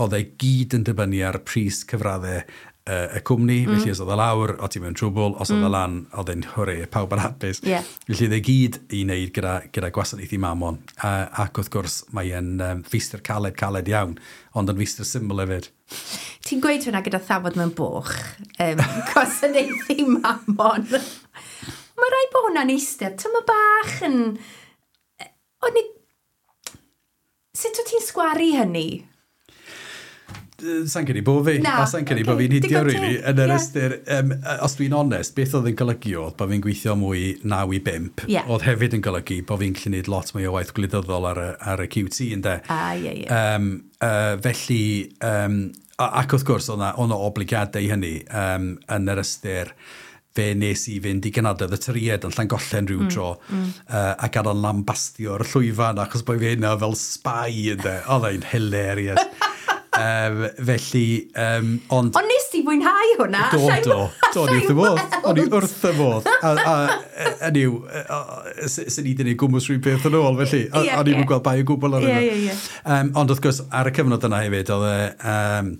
Oedd e gyd yn dibynnu ar pris cyfraddau uh, y cwmni, mm. felly os oedd e lawr, o ti mewn trwbl, os oedd mm. e lan, oedd e'n hwre, pawb yn hapus. Yeah. Felly oedd e gyd i wneud gyda, gyda gwasanaethu mamon. Uh, ac wrth gwrs, mae'n um, feistr caled, caled iawn, ond yn feistr syml hefyd. Ti'n gweud hwnna gyda thafod mewn boch, um, gwasanaethu mamon. Mae rhaid bod hwnna'n eistedd, tyma bach yn... O'n i... Sut wyt ti'n sgwaru hynny? Sa'n credu bod fi. Na, A sa'n credu ocê. bod fi'n hidio, Digon really. teg, Yn yr ie. ystyr, um, os dwi'n onest, beth oedd yn golygu oedd bod fi'n gweithio mwy naw i bump. Ie. Oedd hefyd yn golygu bod fi'n gallu gwneud lot mwy o waith gwleidyddol ar y, ar y Q T, ynde. Ah, ie, ie. Um, uh, felly, um, ac wrth gwrs, oedd 'na oedd 'na obligiadau i hynny um, yn yr ystyr fe nes i fynd i gynadledd y Torïaid yn Llangollen rhyw mm, tro mm. Uh, a gael yn lambastio'r llwyfan achos bod fi yna fel spy, ynde. Oedd e'n hilarious. um, felly, um, ond... Ond nes ti fwynhau hwnna? Do, Allai- do. Do, o'n i wrth y modd. allai O'n i weld. wrth y modd. A, a, hynny yw, sy'n ni wedi gwneud gwmws rhyw beth yn ôl, felly. Ie, O'n i'n ie. gweld bai o gwbl ar Ie, hynny. ie, ie. Um, ond wrth gwrs, ar y cyfnod yna hefyd, oedd e, um,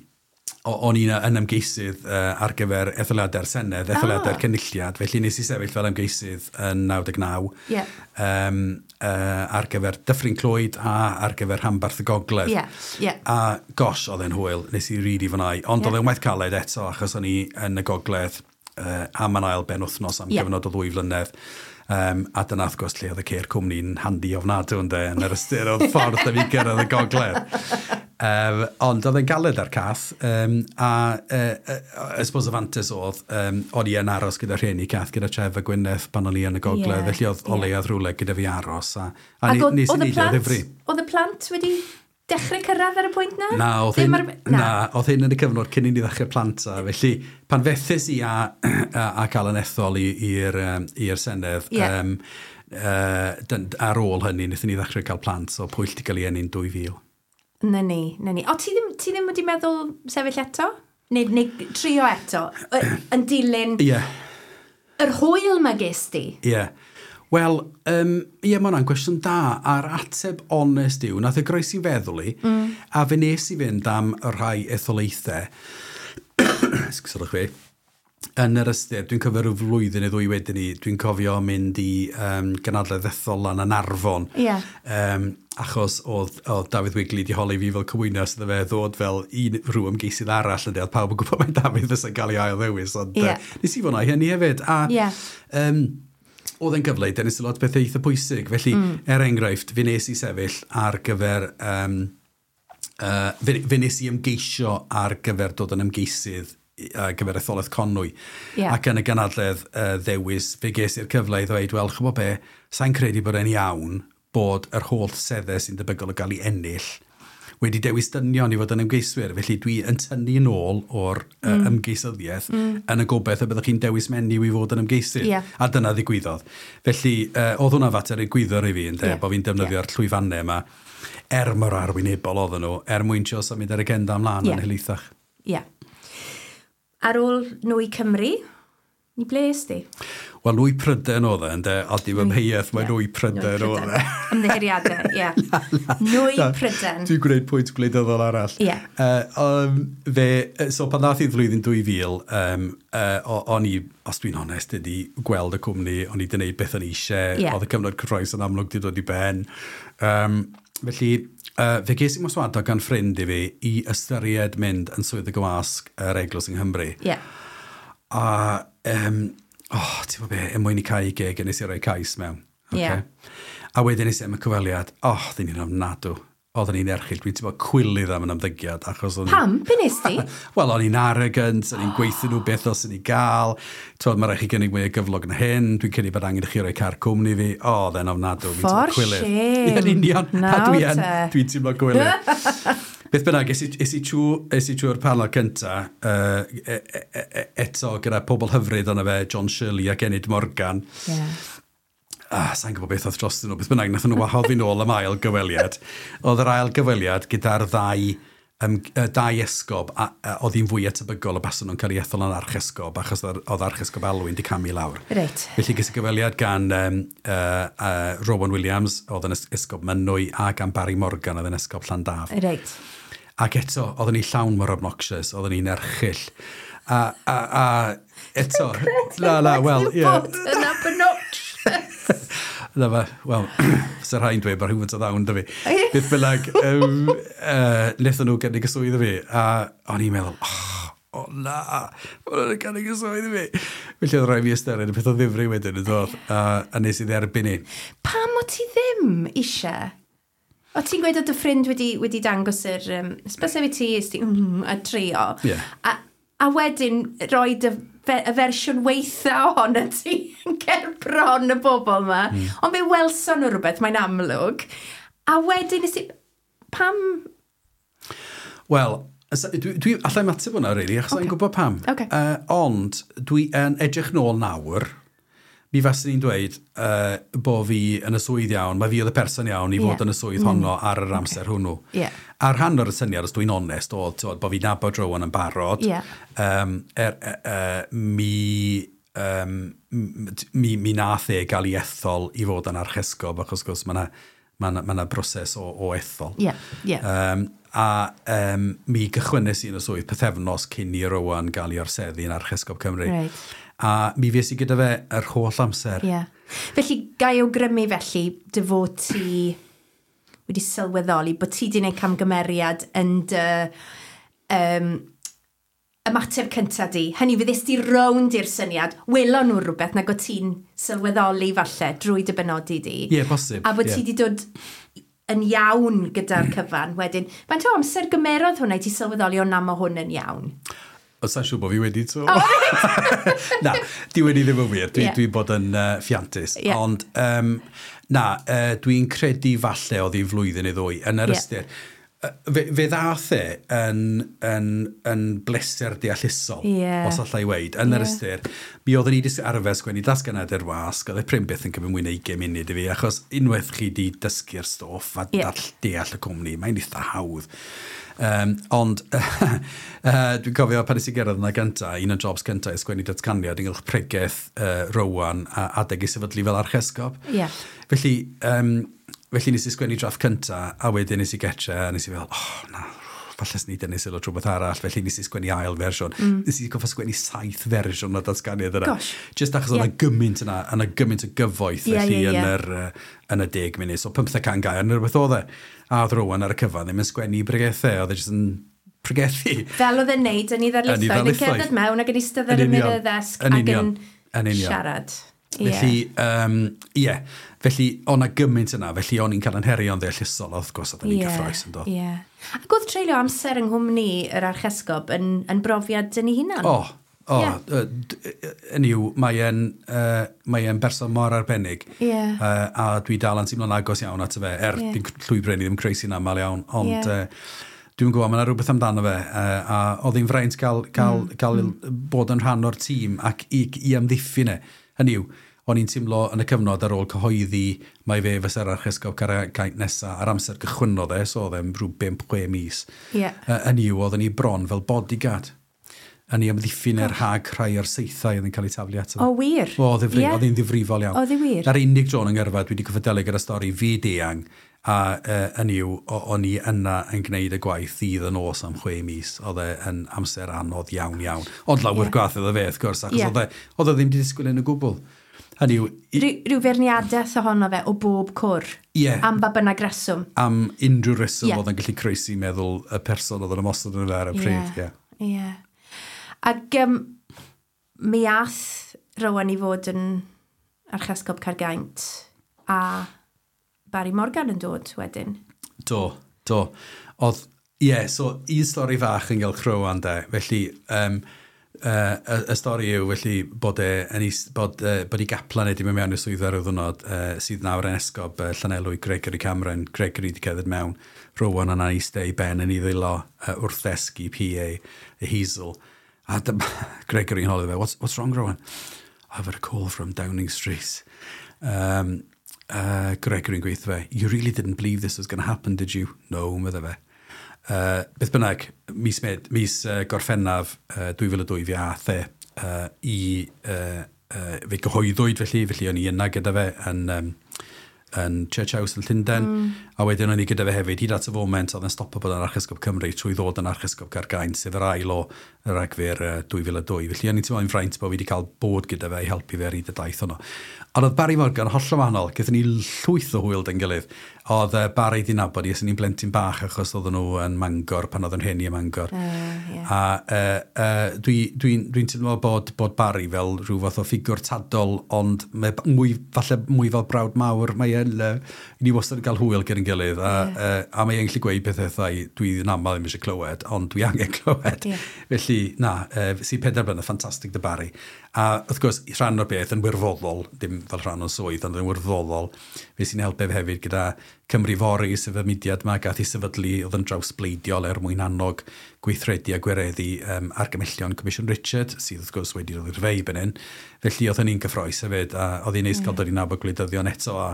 o- o'n i'n yn ymgeisydd uh, ar gyfer etholiadau'r Senedd, etholiadau'r Ah. Cynulliad, felly nes i sefyll fel ymgeisydd yn naw deg naw Ie. um, uh, ar gyfer Dyffryn Clwyd a ar gyfer Rhanbarth y Gogledd. Ie, ie. A gosh, oedd e'n hwyl, nes i rili fwynhau. Ond Ie. oedd e'n waith caled eto, achos o'n i yn y Gogledd uh, am yn ail ben wythnos am Ie. gyfnod o ddwy flynedd. Um, a dyna wrth gwrs lle oedd y ceir cwmni'n handi ofnadw, ynde, yn yr ystyr oedd ffordd da fi gyrraedd y Gogledd. Um, ond oedd e'n galed ar Cath, um, a uh, uh, I suppose y fantes oedd, um, o'n i yn aros gyda rhieni Cath, gyda Tref a Gwyneth pan o'n i yn y Gogledd, Ie, felly oedd ie. o leiaf rhywle gyda fi aros. A, a Ac oedd nes i oedd y neud o plant, ddifri. oedd y plant wedi dechrau cyrraedd ar y pwynt na? Na, oedd Ddim hyn, ar- na. Oedd hyn yn y cyfnod cyn i ni ddechrau plant a felly pan fethes i a, a, a cael yn ethol i'r um, i'r Senedd, Ie. um, uh, dyn, ar ôl hynny, wnaethon ni ddechrau cael plant, so Pwyll di gael ei eni'n dwy fil. Na ni, na ni. O, ti ddim, ti ddim wedi meddwl sefyll eto? Neu, neu trio eto? Y- Yn dilyn Ie, yeah, yr hwyl ma ges di? ie. Yeah. Wel, um, ie, mae hwnna'n gwestiwn da, a'r ateb onest yw, nath e groesi feddwl i, mm. a fe nes i fynd am y rhai etholaethau, esgusodwch fi, yn yr ystyr, dwi'n cofio rhyw flwyddyn neu ddwy wedyn ni, dwi'n cofio mynd i um, gynadledd ethol lan yn Arfon. Ie. Um, achos oedd, oedd Dafydd Wigley di holi fi fel cymwynas iddo fe ddod fel un rhyw ymgeisydd arall yn oedd pawb yn gwybod mai Dafydd fysa'n cael ei ail ddewis, ond Ie. uh, nes i fwynhau hynny hefyd. A, Ie. um, oedd e'n gyfle i dynnu sylw at bethau eitha pwysig. Felly, mm. er enghraifft, fe nes i sefyll ar gyfer... Um, uh, fe, fe nes i ymgeisio ar gyfer dod yn ymgeisydd i- ar gyfer etholaeth Conwy. Ie. Ac yn y gynadledd uh, ddewis, fe ges i'r cyfle i ddweud, "Wel, chybod be, sa'n credu bod e'n iawn bod yr holl seddau sy'n debygol o gael ei ennill wedi dewis dynion i fod yn ymgeiswyr. Felly dwi yn tynnu yn ôl o'r mm. uh, ymgeisyddiaeth mm. yn y gobeith y byddwch chi'n dewis menyw i fod yn ymgeisydd." Ie. A dyna ddigwyddodd. Felly, uh, oedd hwnna fater egwyddor i fi, ynde, Ie. bod fi'n defnyddio'r yeah. llwyfannau yma, er mor arwynebol oedden nhw, er mwyn trio symud yr agenda ymlaen Ie. yn helaethach. Ie. Ar ôl Nwy Cymru, ni ble es di? Wel, Nwy Prydain oedd e, ynde, a dim amheuaeth, mae Nwy Prydain oedd e. Ymddiheuriadau, ie. Nwy Prydain. Dwi'n gwneud pwynt gwleidyddol arall. Ie. Uh, um, fe, so pan ddath i flwyddyn dwy fil, um, uh, o'n i, os dwi'n onest, wedi gweld y cwmni, o'n i wedi gwneud beth o'n i eisiau, Ie. oedd y cyfnod cyffrous yn amlwg wedi dod i ben. Um, felly, uh, fe ges i mherswadio gan ffrind i fi i ystyried mynd yn swyddog y wasg yr Eglwys yng Nghymru. Ie. A, um, oh, ti'n gwybod be, er mwyn i cau geg, nes i roi cais mewn. Ie. A wedyn nes i am y cyfweliad, oh, ddyn ni'n ofnadw. Oedden ni'n erchyll. Dwi'n teimlo cwilydd am yn ymddygiad. Achos o'n... Pam? Be nes ti? Wel, o'n i'n arrogant, o'n i'n gweithio nhw beth os o'n i gael. Twod, mae rhaid chi gynnig mwy o gyflog na hyn. Dwi'n credu bod angen i chi roi car cwmni fi. O, oedd e'n ofnadw. Fi'n teimlo For cwilydd. shame. Ie, yn union. A Nawr dwi yn, te. dwi'n teimlo gwilydd. Beth bynnag, es i, es i trwy, es i trwy'r panel cynta, uh, e, e, e, eto gyda pobl hyfryd o'na fe, John Shirley ac Enid Morgan. Yeah. Ah, sa'n gwybod beth oedd dros nhw, beth bynnag, nath nhw wahodd fi nôl am ail gyfweliad. Oedd yr ail gyfweliad gyda'r ddau, um, dau esgob, a, a oedd hi'n fwy atebygol o baswn nhw'n cael ei ethol yn archesgob, achos oedd oedd archesgob Alwyn di camu lawr. Reit. Felly ges i gyfweliad gan um, uh, uh, Rowan Williams, oedd yn esgob Mynwy, a gan Barry Morgan, oedd yn esgob Llandaf. Reit. Ac eto, oedden ni llawn mor obnoxious, oedden ni'n erchyll. A, a, a eto, na, na, wel, ie. Bod yn obnoxious. Na fe, wel, fysa rhai'n dweud bod rhywfaint o ddawn 'da fi. Beth bynnag, um, uh, wnaethon nhw gynnig y swydd i fi, a o'n i'n meddwl, oh, o na, ma' nhw'n gynnig y swydd i fi. Felly oedd rhaid fi ystyried y peth o ddifri wedyn yn dod, a, a nes i dderbyn i. Pam o ti ddim eisiau? O ti'n gweud oedd dy ffrind wedi, wedi dangos yr um, ysbysef i ti, ys ti, mm, a trio. Ie. A, a wedyn roi dy, fe, y fersiwn weitha ohono ti yn ger bron y bobl yma. Mm. Ond fe welson nhw rhywbeth, mae'n amlwg. A wedyn nes i... Pam... Wel, as- dwi, dwi allai mateb hwnna, really, achos okay. Ocê. I'm gwybod pam. Ocê. Uh, ond dwi yn edrych nôl nawr, mi faswn i'n dweud uh, bo fi yn y swydd iawn, mae fi oedd y person iawn i fod Ie. yn y swydd honno ar yr amser hwnnw. Ie. A rhan o'r syniad, os dwi'n onest, oedd t'wod, bo fi'n nabod Rowan yn barod. Ie. Um, er, er, er, mi, um, mi, mi nath e gael ei ethol i fod yn archesgob, achos gwrs mae yna ma 'na, ma 'na broses o, o ethol. Ie, ie. Um, a um, mi gychwynnes i yn y swydd pythefnos cyn i Rowan gael ei orseddu yn Archesgob Cymru. Reit. A mi fues i gyda fe yr holl amser. Ie. Felly, gai awgrymu felly dy fod ti wedi sylweddoli bod ti wedi gwneud camgymeriad yn dy um, ymateb cyntaf di. Hynny, fydd di rownd i'r syniad, welon nhw rhywbeth nag o ti'n sylweddoli falle drwy dy benodi di. Ie, posib. A bod ie. ti wedi dod yn iawn gyda'r cyfan wedyn. Faint o amser gymerodd hwnna i ti sylweddoli o na mae hwn yn iawn? O, sa'n siŵr bod fi wedi to. Na, di wedi ddim yn wir. Dwi, Ie. yeah. dwi bod yn uh, ffiantus. Ie. Ond, um, na, uh, dwi'n credu falle oedd hi'n flwyddyn i ddwy. Yn yr Ie. ystyr, yy, fe, fe ddath e yn, yn, yn bleser deallusol, Ie. os allai weud. Yn yr Ie. ystyr, mi oeddwn i wedi arfer sgwennu datganiad i'r wasg, oedd e prin byth yn cymryd mwy na ugain munud i fi, achos unwaith chi di dysgu'r stwff a Ie. dall, deall y cwmni, mae'n eitha hawdd. Um, ond uh, dwi'n cofio pan nes i gyrraedd yna gynta, un o'n jobs cynta i sgwennu datganiad ynghylch pregeth uh, Rowan a adeg ei sefydlu fel archesgob. Ie. Felly, um, felly nes i sgwennu drafft cynta, a wedyn nes i getre, a nes i fel, oh, na, falle swn i dynnu sylw at rhywbeth arall, felly nes i sgwennu ail fersiwn. Mm. Nes i goffa sgwennu saith fersiwn o datganiad yna. Gosh. Just achos oedd Ie. yna gymaint yna, yna gymaint o gyfoeth, Ie, felly ie, yn ie. yr, uh, yn y deg munud. So pymtheg can gair neu rhywbeth oedd e. A oedd Rowan ar y cyfan ddim yn sgwennu bregethau, oedd e jyst yn pregethu. Fel oedd e'n neud yn ei Yn ei ddarlithoedd, yn ddarlithoedd. cerdded mewn ac yn eistedd ar Yn ymyl union. y ddesg Yn ac yn union. Yn union. siarad. Ie. Felly, um, ie, felly, o'na gymaint yna, felly o'n i'n cael yn herio'n ddeallusol, wrth gwrs, oedden ni'n Ie, gyffrous yn dod. Ie. Ac oedd treulio amser yng nghwmni yr archesgob yn, yn brofiad yn ei hunan? O, o, Ie. yeah. yn yw, mae e'n uh, mae e'n berson mor arbennig. Ie. Uh, a dwi dal yn teimlo'n agos iawn ato fe, er Ie. yeah. dwi'n llwybr ni ddim croesi'n aml iawn, ond Ie. yeah. uh, dwi'n gwybod, mae yna rhywbeth amdano fe, uh, a oedd hi'n fraint gael, gael, mm. gael mm. bod yn rhan o'r tîm ac i, i amddiffyn e. Hynny yw, o'n i'n teimlo yn y cyfnod ar ôl cyhoeddi mai fe fysa'r archesgob Caergaint nesa ar amser gychwynnodd e, so oedd e'n rhyw bump chwe mis. Ie. Uh, hynny yw, oedden ni bron fel bodyguard. Yn ei amddiffyn er rhag rhai o'r saethau oedd yn cael eu taflu ato fe. O, wir? O, ddifri, Ie. oedd hi'n ddifrifol iawn. Oedd hi wir? Na'r unig dro yn ngyrfa dwi wedi cyffadelu gyda stori fyd eang, a uh, hynny yw, o- o'n i yna yn gwneud y gwaith ddydd y nos am chwe mis. Oedd e yn amser anodd iawn iawn. Ond lawer Ie. yeah. gwaith iddo fe, wrth gwrs, achos Ie. oedd e, oedd e ddim wedi disgwyl yn y gwbl. Hynny yw, i, Rhyw, rhyw feirniadaeth ohono fe o bob cwr. Ie. Am ba bynnag reswm. Am unrhyw reswm Ie. oedd yn gallu croesi meddwl y person oedd yn ymosod yn fe ar y pryd. Ie. Ie. Ac um, mi ath Rowan i fod yn archesgob Caergaint a Barry Morgan yn dod wedyn. Do. Do. Oedd, ie, yeah, so un stori fach yn gael Rowan de. Felly, um, uh, y, y stori yw felly bod e yn is, bod, uh, bod i gaplan wedi mynd mewn i'r swyddfa ryw ddwrnod uh, sydd nawr yn esgob uh, Llanelwy, Gregory Cameron. Gregory wedi cerdded mewn. Rowan yna eistedd ei ben yn ei ddwylo uh, wrth ddesg P A, y Hazel. A dyma Gregory yn holi fe, what's, what's wrong, Rowan?" "I've had a call from Downing Street." Um, uh, Gregory'n gweithio fe, "You really didn't believe this was going to happen, did you?" "No," medde fe. Uh, beth bynnag, mis, Med, mis uh, Gorffennaf uh, dwy fil a dwy fi ath e uh, i... Uh, uh, fe gyhoeddwyd felly, felly o'n i yna gyda fe yn, um, yn Church House yn Llundain, mm. a wedyn o'n i gyda fe hefyd, hyd at y foment oedd yn stopo bod yn Archesgob Cymru trwy ddod yn Archesgob Caergaint, sef yr ail o Ragfyr uh, dwy fil a dwy. Felly o'n i'n teimlo'n fraint bod fi wedi cael bod gyda fe i helpu fe ar hyd y daith honno. Ond oedd Barry Morgan hollol wahanol, gaethon ni llwyth o hwyl 'da'n gilydd. Oedd uh, Barry di nabod i ers o'n i'n blentyn bach achos oedden nhw yn Mangor pan oedd yn rhieni yn Mangor. Uh, yeah. A uh, uh, dwi'n dwi, dwi teimlo bod, bod Barry fel rhyw fath o ffigwr tadol, ond mae mwy, falle mwy fel brawd mawr. Mae e'n, uh, ni wastad yn cael hwyl gyda'n gilydd, a, yeah. uh, a mae e'n gallu gweud pethau dwi yn aml ddim eisiau clywed, ond dwi angen clywed. Ie. Felly, na, uh, si pedair blynedd, ffantastig 'da Barry. A wrth gwrs, rhan o'r beth yn wirfoddol, dim fel rhan o'n swydd, ond yn wirfoddol, fe sy'n helpu fe hefyd gyda Cymru Fory, sef y mudiad yma gath ei sefydlu oedd yn drawsbleidiol er mwyn annog gweithredu a gwireddu um, argymellion Comisiwn Richard, sydd wrth gwrs wedi dod i'r fei ben hyn. Felly oedd hynny'n gyffrous hefyd, a oedd hi'n neis cael dod i nabod gwleidyddion eto a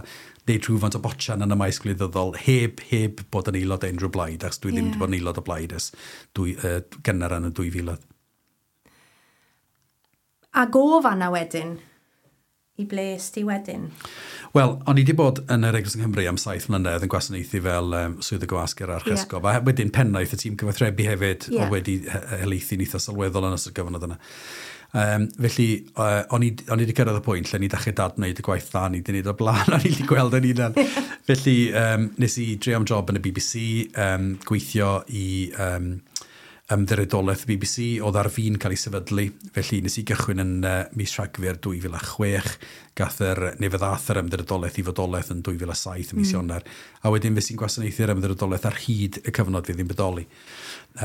neud rhywfaint o botsian yn y maes gwleidyddol heb, heb bod yn aelod o unrhyw blaid, achos dwi ddim Ie. wedi bod yn aelod o blaid ers dwy, uh, gynnar yn y dwy fil. Ac o fanna wedyn, i ble es ti wedyn? Wel, o'n i wedi bod yn yr Eglwys yng Nghymru am saith mlynedd yn gwasanaethu fel um, swyddog gwasg yr Archesgob. Yeah. A wedyn pennaeth y tîm cyfathrebu hefyd, Ie. yeah. oedd wedi he- helaethu'n eitha sylweddol yn ystod gyfnod yna. Um, felly, uh, o'n i, o'n i wedi cyrraedd y pwynt lle ni dechrau dadwneud y gwaith dda ni wedi gwneud o blaen, o'n i wedi gweld yn hunan. Felly, um, nes i drio am job yn y B B C, um, gweithio i um, ymddiriedolaeth y B B C, oedd ar fin cael ei sefydlu. Felly nes i gychwyn yn uh, mis Rhagfyr dwy fil a chwech, gath yr, neu fe ddath yr ymddiriedolaeth i fodolaeth yn dwy fil a saith ym mis mm. Ionawr. A wedyn fe sy'n gwasanaethu'r ymddiriedolaeth ar hyd y cyfnod fydd hi'n bodoli.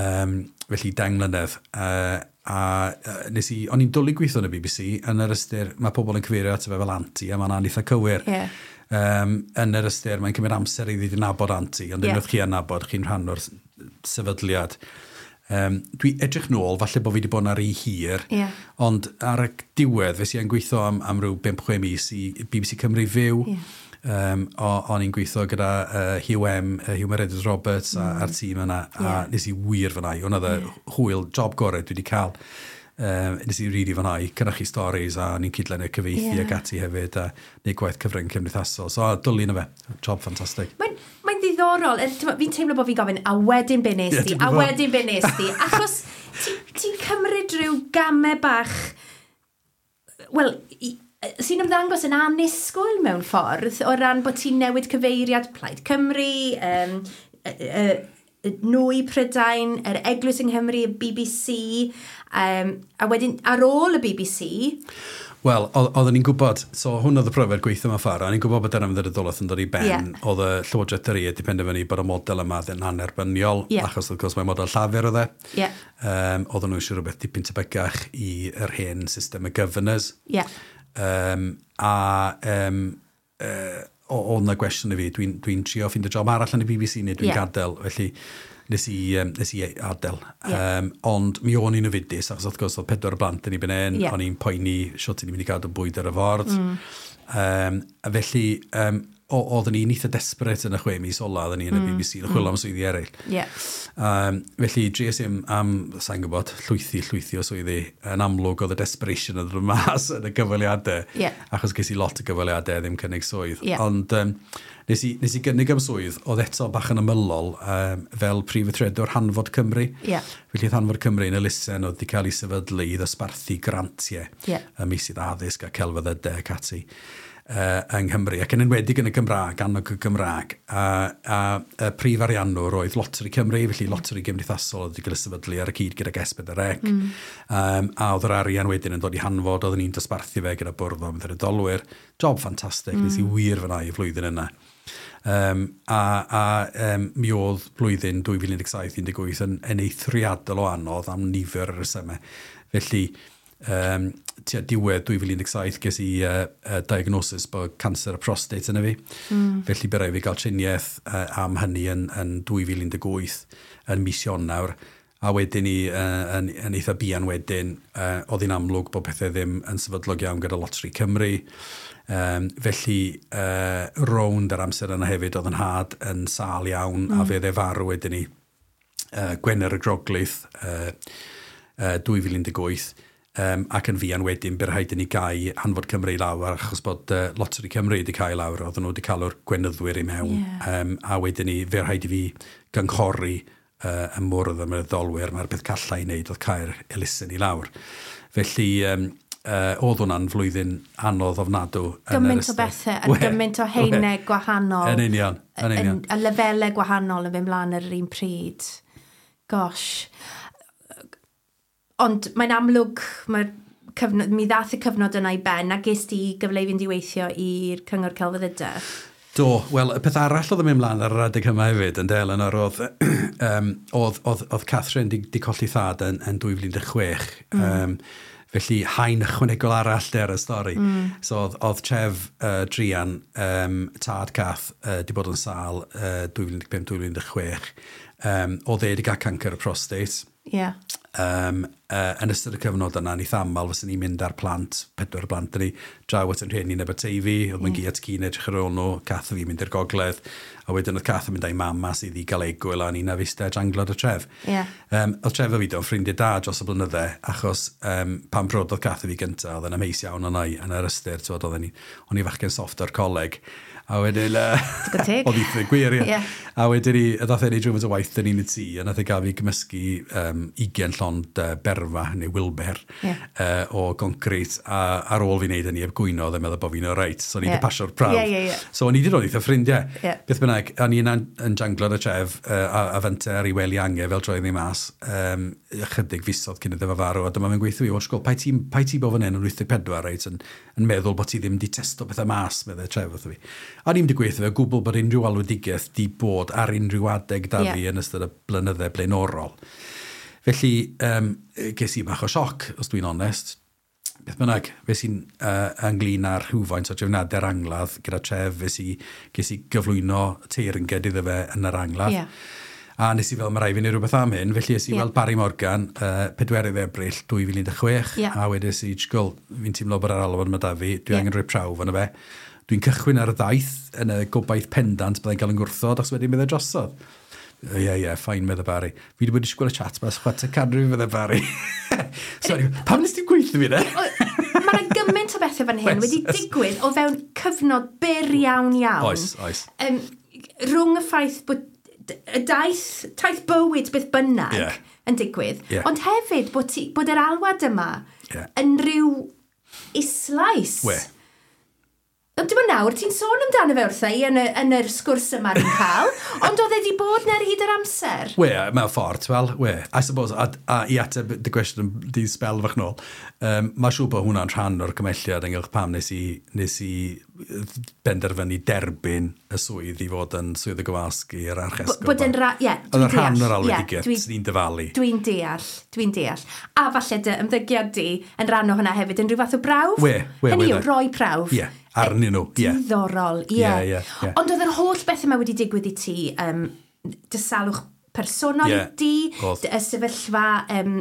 Um, felly deng mlynedd. Uh, a uh, nes i, o'n i'n dwlu gweithio yn y B B C, yn yr ystyr, mae pobl yn cyfeirio ato fe fel anti, a mae'n eitha cywir. Ie. Um, yn yr ystyr, mae'n cymryd amser i ddod i nabod anti, ond Ie. unwaith chi yn nabod, chi'n rhan o'r s- sefydliad. Um, dwi edrych nôl, falle bod fi wedi bod yn ar ei hir, Ie. ond ar y diwedd, fe si yn gweithio am, am ryw bump chwe mis i B B C Cymru Fyw. Ie. Um, o, o'n i'n gweithio gyda uh, Hugh M, uh, Huw Meredydd Roberts mm. a, a'r tîm yna, a Ie. nes i wir fwynhau. Hwna oedd y hwyl, job gorau dwi wedi cael. Um, nes i rili fwynhau, cynhyrchu stories a ni'n cydlynu cyfieithu Ie. ac ati hefyd a neud gwaith cyfrwng cymdeithasol. So, a dwlu na fe. Job ffantastig. Mae'n mae ddiddorol. Yy, t'mo', fi'n teimlo bod fi'n gofyn, a wedyn be nes Ie, di? ti'n A gwbod. wedyn be nes di? Achos ti'n ti cymryd rhyw gamau bach, wel, i- sy'n ymddangos yn annisgwyl mewn ffordd, o ran bod ti'n newid cyfeiriad Plaid Cymru, um, uh, nwy Prydain, yr Eglwys yng Nghymru, y B B C, um, a wedyn ar ôl y B B C, Wel, o- oedden ni'n gwybod, so hwn oedd y profiad gweithio mewn ffordd, o'n i'n gwybod bod yr ymddiriedolaeth yn dod i ben, Ie. oedd y Llywodraeth yr wedi penderfynu bod y model yma yn annerbyniol, Ie. achos wrth gwrs mae model Llafur oedd e. Ie. Um, oedden nhw eisiau rhywbeth dipyn tebygach i yr hen system y governors. Ie. Um, a um, uh, oedd na gwestiwn i fi, dwi'n dwi trio ffeindio job arall yn y B B C neu dwi'n Ie. gadael, felly nes i, um, nes i adael. Ie. Um, ond mi o'n i'n ofidus, achos wrth gwrs oedd pedwar o blant yn ei ben Ie. o'n i'n poeni sut i'n mynd i gadw bwyd ar y ford. Mm. Um, a felly, um, oedden ni'n eitha desperate yn y chwe mis ola, oedden ni yn y B B C, yn chwilio am swyddi eraill. Ie. Um, felly, dries i am, am sa'n gwybod, llwythi, llwythi o swyddi. Yn amlwg oedd y desperation yn dod mas yn y gyfweliadau. Ie. Achos ges i lot o gyfweliadau ddim cynnig swydd. Ie. Ond um, nes, i, nes i gynnig am swydd, oedd eto bach yn ymylol um, fel prif weithredwr Hanfod Cymru. Ie. Felly oedd Hanfod Cymru yn elusen oedd wedi cael ei sefydlu i ddosbarthu grantiau Ie. ym meysydd addysg a celfyddydau ac ati uh, yng Nghymru, ac yn enwedig yn y Gymraeg, annog y Gymraeg. A, a, y prif ariannwr oedd Loteri Cymru, felly Loteri Gymdeithasol oedd wedi cael ei sefydlu ar y cyd gyda S pedwar C. Mm. Um, a oedd yr arian wedyn yn dod i Hanfod, oedden ni'n dosbarthu fe gyda bwrdd o ymddiriedolwyr. Job ffantastig, mm. nes i wir fwynhau y flwyddyn yna. Um, a a um, mi oedd blwyddyn dwy fil un deg saith un deg wyth yn, yn eithriadol o anodd am nifer o resymau. Felly, um, tua diwedd dwy fil un deg saith ges i uh, uh, diagnosis bod cancer y prostate yna fi. Mm. Felly bu raid fi gael triniaeth uh, am hynny yn, yn dwy fil un deg wyth yn mis Ionawr. A wedyn ni, uh, yn, yn eitha buan wedyn, uh, oedd hi'n amlwg bod pethau ddim yn sefydlog iawn gyda Lottery Cymru. Um, felly, uh, rownd yr amser yna hefyd, oedd yn nhad yn sâl iawn, mm. a fe dde farw wedyn ni. Uh, Gwener y Groglith, uh, uh, dwy fil un deg wyth, um, ac yn fuan wedyn, bu rhaid i ni gau Hanfod Cymru i lawr, achos bod uh, Lottery Cymru wedi cael lawr, oedden nhw wedi cael o'r gwenyddwyr i mewn. Ie. Um, a wedyn ni, fe rhaid i fi gynghori uh, y mwrdd y myddolwyr, mae'r beth calla i wneud oedd cau'r elusen i lawr. Felly, um, uh, oedd hwnna'n flwyddyn anodd ofnadw yn yr Gymaint o ystyr. bethau, a We, gymaint o haenau gwahanol. Yn union, yn union. A lefelau gwahanol yn fynd mlaen ar yr un pryd. Gosh. Ond mae'n amlwg, mae'r cyfnod, mi ddath y cyfnod yna i ben, a ges ti gyfle i fynd i weithio i'r Cyngor Celfyddydau. Do, wel, y peth arall oedd yn mynd mlaen ar yr adeg yma hefyd, yn del, yn oedd, um, oedd, oedd, oedd Catherine di, di colli thad yn, yn dwy fil un deg chwech. Mm. Um, felly, haen ychwanegol arall de ar y stori. Mm. So, oedd, oedd Trev uh, Drian, um, tad Cath, uh, di bod yn sâl uh, dwy fil un deg pump dwy fil un deg chwech. Um, oedd e wedi cael cancer y prostate. Ie. Yeah. Um, uh, yn ystod y cyfnod yna, ni thamal fyswn ni'n mynd ar plant, pedwar blant ni, draw at yn rhieni yn Aberteifi, oedd yeah. Gi at ci'n edrych ar ôl nhw, Cath a fi mynd i'r gogledd, a wedyn oedd Cath yn mynd â'i mam mas iddi gael egwyl a ni'n afista janglod y tref. Ie. Um, oedd Tref a fi do'n ffrindiau da dros y blynydde, achos um, pan brododd Cath a fi gyntaf, oedd yn amheus iawn yna i, yn yr ystyr, t'wod, oedden ni, o'n i fachgen soft o'r coleg. A wedyn... Uh, Digon teg. Oedd eitha gwir, ie. Ie. A wedyn ni, ddath e neud rhywfaint o waith dyn ni'n y tŷ, a nath e gael fi gymysgu um, ugain llond uh, berfa, neu Wilber, Ie. uh, o concret, a ar ôl fi wneud hynny, heb gwyno, oedd e'n meddwl bod fi'n alright, so ni Ie. wedi pasio'r prawf. Ie, ie, ie. So o'n i wedi dod eitha ffrindiau. Ie. Beth bynnag, o'n i yna'n yn janglod y tref, uh, a, a fente ar ei wely ange fel troedd ni mas, um, ychydig fisoedd cyn iddo fe farw, a dyma fe'n gweithio fi, wel, sgol, pai ti, pai ti bod fan hyn yn wyth deg pedwar, reit, yn, yn meddwl bod ti ddim wedi testo pethau mas, meddai Tref wrtho fi. A ni'n wedi gweithio fe, gwbl bod unrhyw alwedigaeth di bod ar unrhyw adeg da Ie. fi yn ystod y blynydde blaenorol. Felly, um, ges i bach o sioc, os dwi'n onest. Beth bynnag, fe sy'n uh, ynglyn â'r rhywfaint o drefniadau'r angladd gyda Tref, fe si, ges i gyflwyno teyrnged iddo fe yn yr angladd. Ie. A nes i fel, mae rhaid fi wneud rhywbeth am hyn, felly es i Ie. weld Barry Morgan, uh, pedwerydd Ebrill dwy fil un deg chwech, Ie. a wedes i, "Jgol, fi'n teimlo bod yr alwad yma da fi, dwi Ie. angen rhoi prawf yna fe. Dwi'n cychwyn ar y daith yn y gobaith pendant byddai'n cael yn gwrthod, achos wedyn byddai drosodd." Ie, ie, yeah, fine, medde Barry. "Fi wedi bod i disgwyl y chat mas chwarter canrif," medde Barry. "Sorry, pam nes ti'n gweithio fi, ne?" Mae yna gymaint o bethau fan hyn Oes, wedi oes. digwydd o fewn cyfnod byr iawn iawn. Oes, oes. Um, rhwng y ffaith bod d- y daith, taith bywyd beth bynnag Ie. yn digwydd, Ie. ond hefyd bod, ti, bod yr alwad yma Ie. yn rhyw islais. We. Ond dim ond nawr, ti'n sôn amdano fe wrtha i yn, y, yn yr sgwrs yma ni'n cael, ond oedd e wedi bod 'na ar hyd yr amser. We, mewn ffordd, wel, we. I suppose, a, a i ateb dy gwestiwn di sbel fach nôl, um, mae siŵr bod hwnna'n rhan o'r cymelliad ynghylch pam nes i, nes i benderfynu derbyn y swydd i fod yn swydd y gwasg i'r archesgob. Bod yn ra... Ie, Oedd dwi'n yn rhan deall. o'r Ie, alwedigaeth, dwi- sy'n ni'n dyfalu. Dwi'n deall, dwi'n deall. A falle dy ymddygiad di yn rhan o hwnna hefyd yn rhyw fath o brawf. We, we, Hynny we, yw, de. roi prawf. Ie, arnyn nhw, ie. Diddorol, ie. Ie, ie, ie. Ond oedd yr holl beth yma wedi digwydd i ti, um, dy salwch personol Ie, i di, oedd. dy- y sefyllfa um,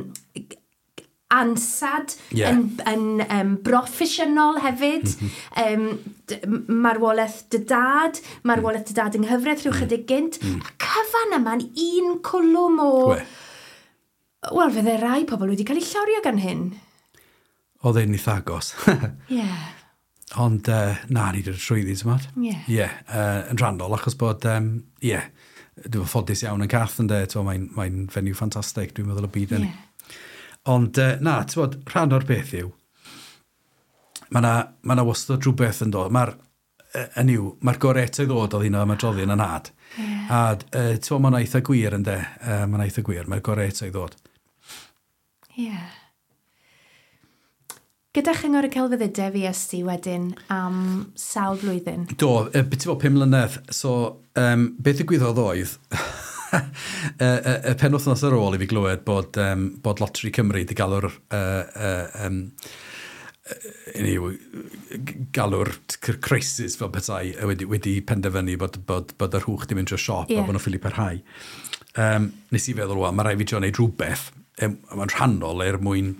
ansad Ie. yn, yn um, broffesiynol hefyd, mm -hmm. um, d- marwolaeth dy dad, marwolaeth dy dad yng nghyfraith rhyw chydig gynt. Mm. A cyfan yma'n un cwlwm o... We. Wel, fydde rai pobl wedi cael eu llorio gan hyn. Oedd e'n eitha agos. Ie. Yeah. Ond uh, na, ni wedi dod trwyddi, ti'n modd? Ie. Ie, uh, yn rhannol, achos bod, um, ie, dwi'n ffodus iawn yn Cath yn de, mae'n mae fenyw ffantastig, dwi'n meddwl y byd yn. Ie. Ond uh, na, ti'n bod, rhan o'r beth yw, mae na, ma na wastad rhywbeth yn dod. Mae'r, uh, yn yw, mae'r gorau eto i ddod oedd un o'r ymadroddion yn nhad. Ie. A uh, ti'n bod, mae'n eitha gwir yn de, uh, mae'n eitha gwir, mae'r gorau eto i ddod. Ie. Gyda Chyngor y Celfyddydau fi esti wedyn am sawl blwyddyn. Do, e, beth i fod pum mlynedd. So, um, beth ddigwyddodd oedd, y, y, y penwythnos ar ôl i fi glywed bod, um, bod Lottery Cymru wedi galw'r uh, uh, um, anyway, galw'r crisis fel petai wedi, wedi penderfynu bod, bod, bod yr hwch di mynd drwy'r siop, yeah, a bod nhw'n ffili parhau. Um, nes i feddwl, wel, mae rhaid fi drio wneud rhywbeth, um, mae'n rhannol er mwyn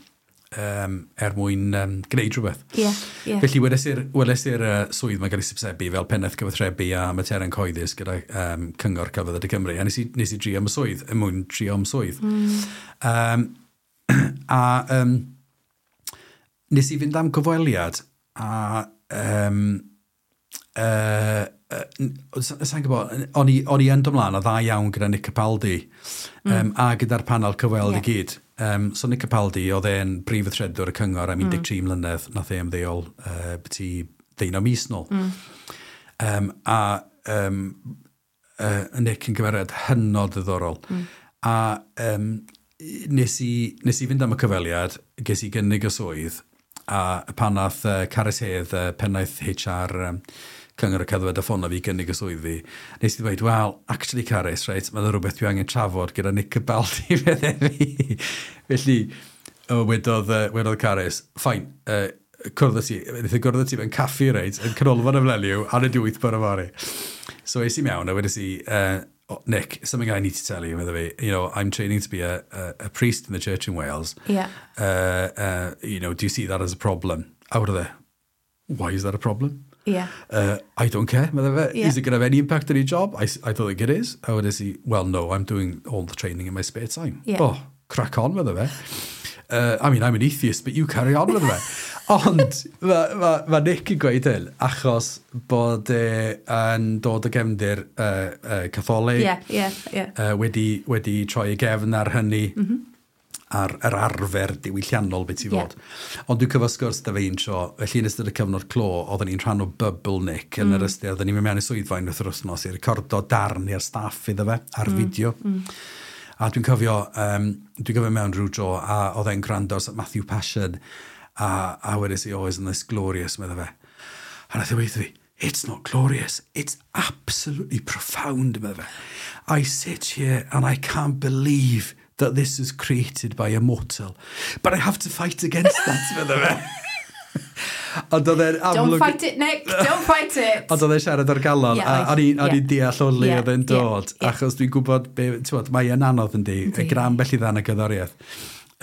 um, er mwyn um, gwneud rhywbeth. Yeah, yeah. Felly weles i'r weles i'r uh, swydd mae'n cael ei hysbysebu fel pennaeth cyfathrebu a materion cyhoeddus gyda um, Cyngor Celfyddydau Cymru. A nes i, nes i drio am y swydd, er mwyn drio am swydd. Mm. Um, a um, nes i fynd am gyfweliad a um, uh, uh, sa'n gwybod, o'n i, o'n i yn dod mlaen o dda iawn gyda Nick Capaldi mm. um, a gyda'r panel cyfweld, yeah, i gyd. Um, so Nick Capaldi, oedd e'n brif weithredwr y cyngor am un deg tri mm. mlynedd, nath e ymddeol uh, byti ddeunaw mis nôl. Mm. Um, a um, uh, Nick yn gymeriad hynod ddiddorol. Mm. A um, nes, i, nes i fynd am y cyfweliad, ges i gynnig y swydd, a pan nath uh, Carys Hedd, uh, pennaeth H R um, Cyngor y Celfyddydau, ffono fi gynnig y swydd fi, nes i ddweud, "Well, actually Carys, right, mae'n rhywbeth dwi angen trafod gyda Nick Capaldi," fedde fi. Felly, o, wedodd, uh, wedodd Carys, "Fine, uh, cwrdd â ti," wnaeth e gwrdd â ti mewn caffi, reit, yn Canolfan y Mileniwm, ar y wyth bore fory. So es i mewn a wedes i, uh, "Oh, Nick, something I need to tell you," medde fi, "you know, I'm training to be a, a, a priest in the church in Wales. Yeah. Uh, uh, you know, do you see that as a problem?" A wedodd e, "Why is that a problem?" Yeah. Uh, "I don't care," medde fe. Yeah. "Is it going to have any impact on your job?" I, I don't think it is." A wedes i, "Well, no, I'm doing all the training in my spare time." Yeah. "Oh, crack on," medde fe. Uh, "I mean, I'm an atheist, but you carry on," medde fe. Ond mae ma, ma Nick yn gweud hyn achos bod e yn dod o gefndir uh, uh, Catholig, Yeah, yeah, yeah. uh, wedi, wedi troi ei gefn ar hynny, mm -hmm. ar yr arfer diwylliannol beth i Ie. fod. Ond dwi'n cyfo sgwrs da fe un tro, felly yn ystod y cyfnod clo, oedden ni'n rhan o bubble Nick yn mm. yr ystyr, oedden ni'n mynd mewn i swyddfa unwaith yr wythnos i recordo darn i'r staff iddo fe ar mm. fideo. Mm. A dwi'n cofio, um, dwi'n cofio mewn rhyw dro, a oedd e'n gwrando ar Matthew Passion, a, a wedes i, "Oh, isn't this glorious?" medde fe. A nath e weud fi, "It's not glorious, it's absolutely profound," medde fe. "I sit here and I can't believe that this is created by a mortal. But I have to fight against that," medde fe. Ond oedd e'n Don't amlwg fight it, Nick. Don't fight it. Ond oedd e'n siarad o'r galon, Ie, a oedd. o'n i'n o'n Ie. i'n deall o le Ie, oedd e'n ie, dod, ie. achos dwi'n gwybod, be, ti'n mae e'n anodd yndi, Yndi. gyda ambell i ddarn y gerddoriaeth.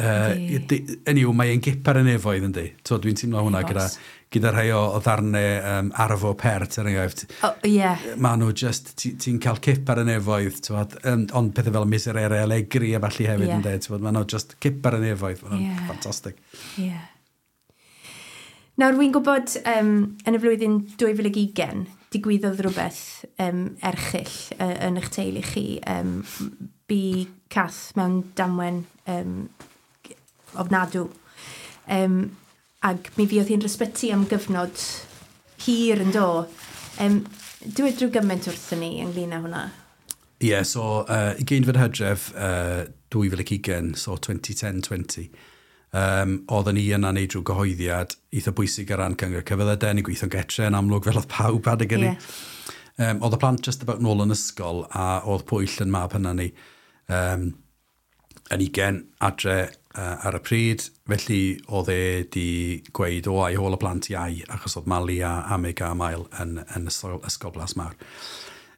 Uh, Yndi. Anyway, mae e'n gip ar y nefoedd yndi. So, dwi'n teimlo hwnna gyda, Oes. gyda rhai o, o ddarnau um, Arvo Pärt, er enghraifft. Oh, yeah. Mae nhw just, ti'n ti cael cip ar y nefoedd, ti'n um, ond pethau fel Miserere Allegri a falle hefyd, Ie. yeah. yndê, ti'n mae nhw just cip ar y nefoedd, maen nhw'n Ie. ffantastig. Yeah. Nawr, wy'n gwybod um, yn y flwyddyn dwy fil ac ugain, digwyddodd rhywbeth um, erchyll uh, yn eich teulu chi. Um, bu Cath mewn damwen um, ofnadw. Um, ac mi fuodd hi'n ysbyty am gyfnod hir yn do. Um, dweud rhyw gymaint wrthyn ni ynglyn â hwnna. Ie, yeah, so uh, ugeinfed Hydref uh, dwy fil ac ugain, so dwy fil un deg dau, um, oedden ni yna neud rhyw gyhoeddiad eitha bwysig ar ran Cyngor Celfyddydau, ni'n gweithio'n getre yn amlwg fel oedd pawb adeg hynny. Ie. Um, oedd y plant just about nôl yn ysgol a oedd Pwyll yn mab hynna ni um, yn ugen adre uh, ar y pryd, felly oedd e di gweud o ai hôl y plant iau, achos oedd Mali a Amig a Mael yn, yn ysgol, ysgol Blas Mawr.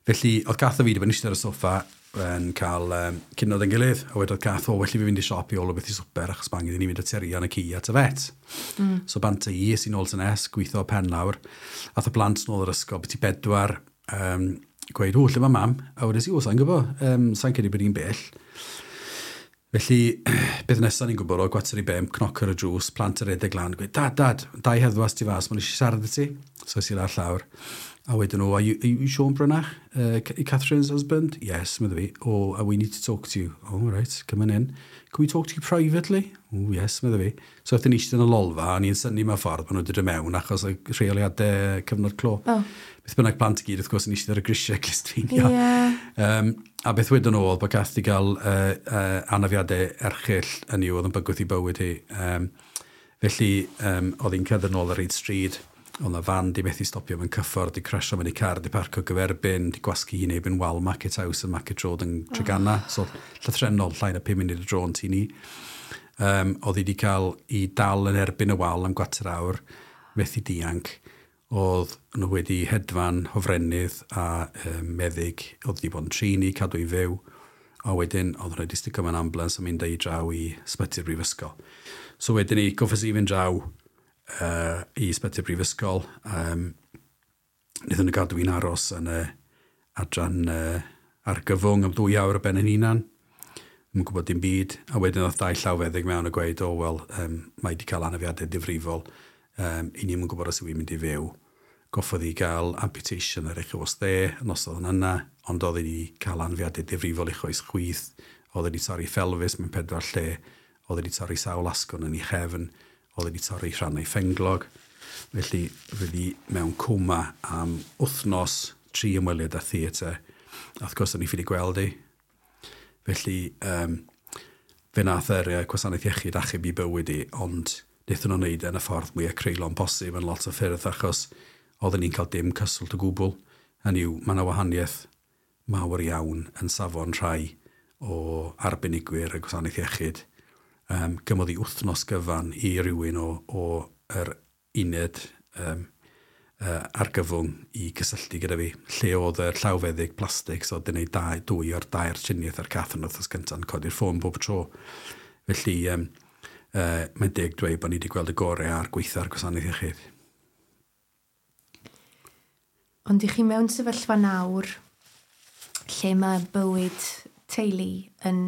Felly, oedd Cath a fi wedi bod yn eistedd ar y soffa yn cael um, cinio yn gilydd, a wedodd Cath, "O, well i fi fynd i siop i ôl o beth i swper, achos ma angen i ni fynd â Tirian y ci at y vet." Mm. So bant i, es i nôl tŷ nes, gweithio pen lawr. Ath y plant nôl yr ysgol, beth i bedwar, um, gweud, "O, lle mae mam?" A wedes i, "O, sa'n gwybod, um, sa'n credu bod hi'n bell." Felly, beth nesaf ni'n gwybod o gwarter i bump, cnoc ar y drws, plant yn redeg lan, gweud, "Dad, Dad, dau heddwas tu fas, maen nhw eisiau siarad â ti." So es i lawr llawr. A wedyn nhw, "Are you, are you Sean Brynach? Uh, Catherine's husband?" "Yes," medde fi. "Oh, uh, we need to talk to you." "Oh, right, come on in." "Can we talk to you privately?" "Oh, yes," medde fi. So aethon ni eistedd yn y lolfa, a ni'n synnu mewn ffordd bod nhw wedi dod mewn achos y rheoliadau cyfnod clo. Oh. Beth bynnag, plant i gyd, wrth gwrs, yn eistedd ar y grisiau clustfeinio. Ie. Um, a beth wedyn nhw oedd bod Cath 'di gael uh, uh, anafiadau erchyll yn i'w oedd yn bygwth i bywyd hi. Um, Felly, um, oedd hi'n cerdded nôl ar hyd stryd, oedd 'na fan di methu stopio mewn cyffordd, di crasio mewn i car, di parcio gyferbyn, di gwasgu hi'n erbyn wal Market House yn Market Road yn Treganna. Oh. So, llythrennol, llai na pum munud o dro yn tŷ ni. Um, oedd hi wedi cael i dal yn erbyn y wal am gwarter awr, methu dianc. Oedd nhw wedi hedfan hofrennydd a um, meddyg, oedd wedi bod yn trin i, cadw i fyw. A wedyn, oedd nhw wedi sticio mewn ambulance a mynd â hi draw i ysbyty'r brifysgol. So wedyn ni, goffes i fynd draw uh, i ysbyty'r brifysgol. Um, wnaethon nhw gadw fi'n aros yn y adran uh, argyfwng am ddwy awr o ben yn hunan. Ddim yn gwybod dim byd. A wedyn oedd dau llawfeddyg mewn a gweud, o, oh, wel, um, mae wedi cael anafiadau difrifol. Um, i ni'm yn gwybod os yw'n mynd i fyw. Goffodd i gael amputation ar ei choes dde, noson yna, ond oedd wedi cael anafiadau difrifol i choes chwith. Oedd wedi torri phelvis mewn pedwar lle. Oedd wedi torri sawl asgwrn yn ei chefn. Oedd wedi torri rhannau phenglog. Felly, fydd hi mewn coma am wythnos, tri ymweliad â theatr. A wrth gwrs, o'n i ffili gweld hi. Felly, um, fe nath yr uh, gwasanaeth iechyd achub i bywyd i, ond wnaethon nhw'n wneud e yn y ffordd mwyaf creulon posib yn lot o ffyrdd, achos oedden ni'n cael dim cyswllt o gwbl. Hynny yw, mae yna wahaniaeth mawr iawn yn safon rhai o arbenigwyr y gwasanaeth iechyd. Um, gymodd i wythnos gyfan i rywun o, o yr uned um, uh, argyfwng i gysylltu gyda fi. Lle oedd y llawfeddyg plastig, so oedd yn gwneud dau, dwy o'r dair triniaeth ar Cath yn wythnos gyntaf yn codi'r ffôn bob tro. Felly, um, uh, mae'n deg dweud bod ni wedi gweld y gorau a'r gweitha'r gwasanaeth iechyd. Ond i chi mewn sefyllfa nawr lle mae bywyd teulu yn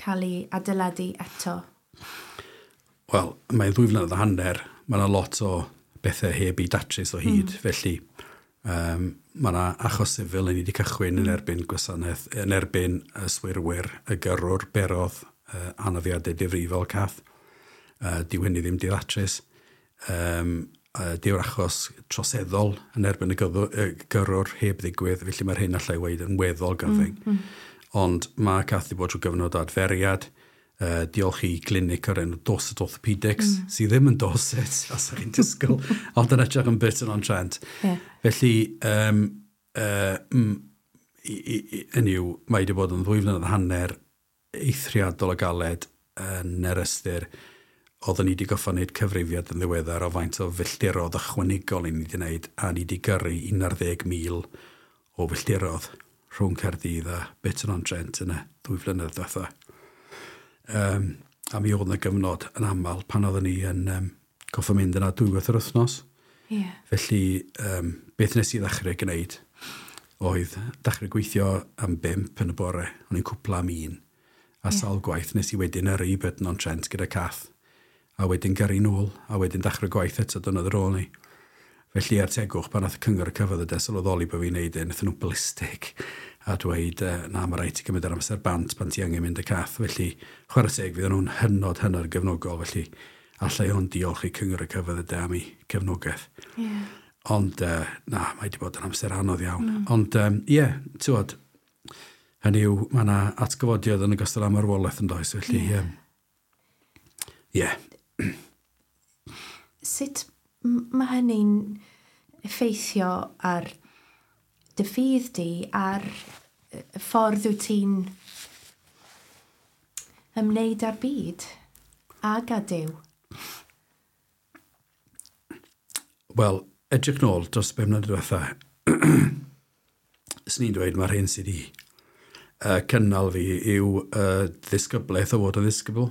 cael ei adeiladu eto? Wel, mae'n ddwy flynedd a hanner. Mae yna lot o bethau heb i datrys o hyd. Mm. Felly, um, mae yna achos sifil yn ni wedi cychwyn mm. yn erbyn gwasanaeth, yn erbyn yswirwyr, y gyrrwr berodd uh, anafiadau difrifol Cath. Uh, dyw hynny ddim di ddatrys. Um, uh, dyw'r achos troseddol yn erbyn y gyrrwr heb ddigwydd, felly mae'r hyn allai weud yn weddol gyfyng. Mm, mm. Ond mae Cath wedi bod trwy gyfnod o adferiad, uh, diolch i glinig o'r enw Dorset Orthopedics, mm. sydd ddim yn Dorset, os ydych chi'n disgwyl, ond yn edrych yn Burton on Trent. Yeah. Felly, um, uh, mm, hynny yw, mae wedi bod yn ddwy flynedd hanner eithriadol o galed yn yr ystyr. Oedden ni wedi goffa wneud cyfrifiad yn ddiweddar o faint o filltirodd ychwanegol i ni wedi wneud, a ni wedi gyrru un ar ddeg mil o filltirodd rhwng Caerdydd a Burton on Trent yn y ddwy flynedd diwetha. Um, a mi oedd yna gyfnod yn aml pan oedden ni yn um, goffa mynd yna dwywaith yr wythnos. Yeah. Felly, um, beth nes i ddechrau gwneud oedd dechrau gweithio am bump yn y bore, o'n i'n cwpla am un. A yeah. sawl gwaith nes i wedyn yrru i Burton on Trent gyda Cath. A wedyn gyrru nôl, a wedyn dechrau gwaith eto dyna ar ôl ni. Felly er tegwch, pan nath y cyngor y cyfydd y sylweddoli bod fi'n neud e, wnaethon nhw ballistic a dweud, na, mae rhaid ti gymryd yr amser bant pan ti angen mynd y Cath. Felly, chwarae teg, fydden nhw'n hynod, hynod gefnogol, felly allai hwn diolch i cyngor y cyfydd y am ei gefnogaeth. Yeah. Ond, uh, na, mae wedi bod yn amser anodd iawn. Mm. Ond, ie, um, yeah, ti'n gwbod, hynny yw, mae yna atgyfodiad yn ogystal â marwolaeth yn does, felly, ie. Yeah. Um, yeah. Sut mae hynny'n effeithio ar dy ffydd di, ar y ffordd wyt ti'n ymwneud â'r byd ag â Duw? Wel, edrych nôl dros bum mlynedd diwetha, swn i'n dweud mae'r hyn sydd wedi uh, cynnal fi yw uh, ddisgyblaeth o fod yn ddisgybl.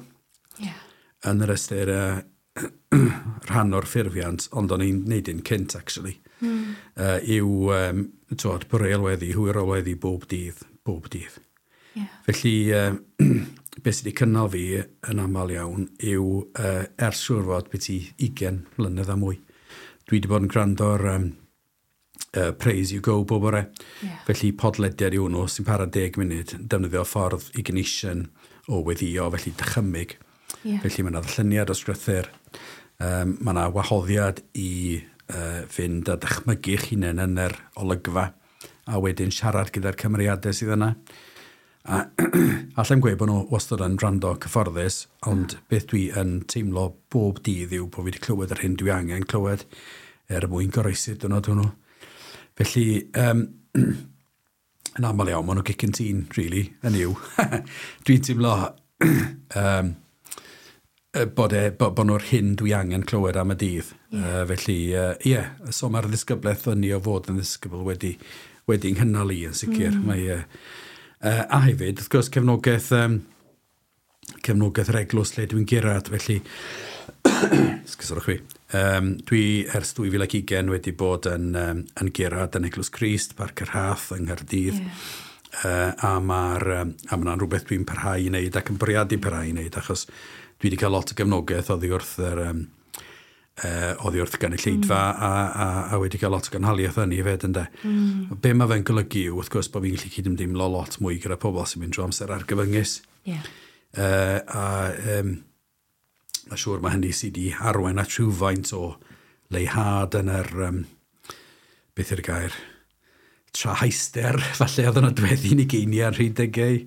Yeah. Yn yr ystyr uh, rhan o'r ffurfiant, ond o'n i'n neud un cynt, actually, mm. uh, yw um, twod, boreol weddi, hwyrol weddi bob dydd, bob dydd. Yeah. Felly, uh, beth sydd wedi cynnal fi yn aml iawn yw uh, ers siŵr fod beth i ugain mlynedd a mwy. Dwi wedi bod yn gwrando ar um, uh, Praise You Go bob bore. Yeah. Felly podlediad yw hwnnw sy'n para deg munud, defnyddio ffordd Ignatian o weddio, felly dychymyg. Yeah. Felly mae yna ddarlleniad o sgrythyr, um, mae yna wahoddiad i uh, fynd a dychmygu eich hunain yn yr olygfa, a wedyn siarad gyda'r cymeriadau sydd yna. A allai'm gweud bod nhw wastad yn rando cyfforddus, ond beth dwi yn teimlo bob dydd yw bod fi wedi clywed yr hyn dwi angen clywed er mwyn goroesi'r diwrnod hwnnw. Felly, um, yn aml iawn, maen nhw gic yn tîn, really, yn yw. Dwi'n teimlo um, bod, e, bod, bod nhw'r hyn dwi angen clywed am y dydd. Yeah. Uh, felly, ie, uh, yeah, so mae'r ddisgyblaeth yn o fod yn ddisgybl wedi, wedi nghynnal i yn sicr. Mm. Mae, uh, uh, a hefyd, wrth gwrs, cefnogaeth, um, cefnogaeth yr eglwys lle dwi'n gyrraedd, felly, esgusodwch fi, um, dwi ers dwy fil ac ugain wedi bod yn, um, yn gyrraedd yn Eglwys Crist, Parc y Rhath yng Nghaerdydd. Yeah. Uh, a mae'r um, a ma' rhywbeth dwi'n parhau i wneud ac yn bwriadu parhau i wneud, achos dwi wedi cael lot o gefnogaeth oddi wrth yr, um, uh, oddi wrth gynulleidfa mm. a, a, a wedi cael lot o gynhaliaeth yn i hefyd, ynde. Mm. Be mae fe'n golygu yw, wrth gwrs, bod fi'n gallu cydymdeimlo lot mwy gyda pobl sy'n mynd drwy amser argyfyngus. Yeah. Uh, a um, mae siŵr mae hynny sydd wedi arwain at rhywfaint o leihad yn yr, um, beth yw'r gair, trahauster, falle oedd yn nodweddu ni geiniau ar hyd degau.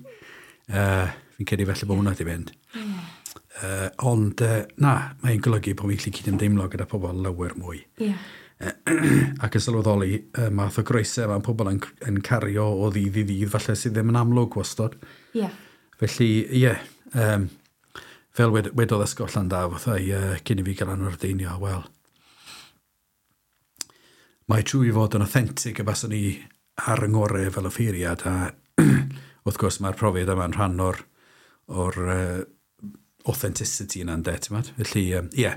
Uh, fi'n credu felly bod hwnna wedi mynd. Yeah. Uh, ond uh, na, mae'n golygu bod fi'n gallu cydymdeimlo gyda pobl lawer mwy. Yeah. Ac yn sylweddoli y math o groesau mae pobl yn, yn cario o ddydd i ddydd, falle sydd ddim yn amlwg wastod. Yeah. Felly, ie, yeah, um, fel wed, wedodd Esgob Llandaf wrtha i uh, cyn i fi gael anordeinio, wel, mae trwy fod yn authentic y baswn ni ar yng ngorau fel offeiriad, a wrth gwrs mae'r profiad yma'n rhan o'r, or, uh, authenticity yna'n de, ti'n gwbod? Felly, ie, um, yeah,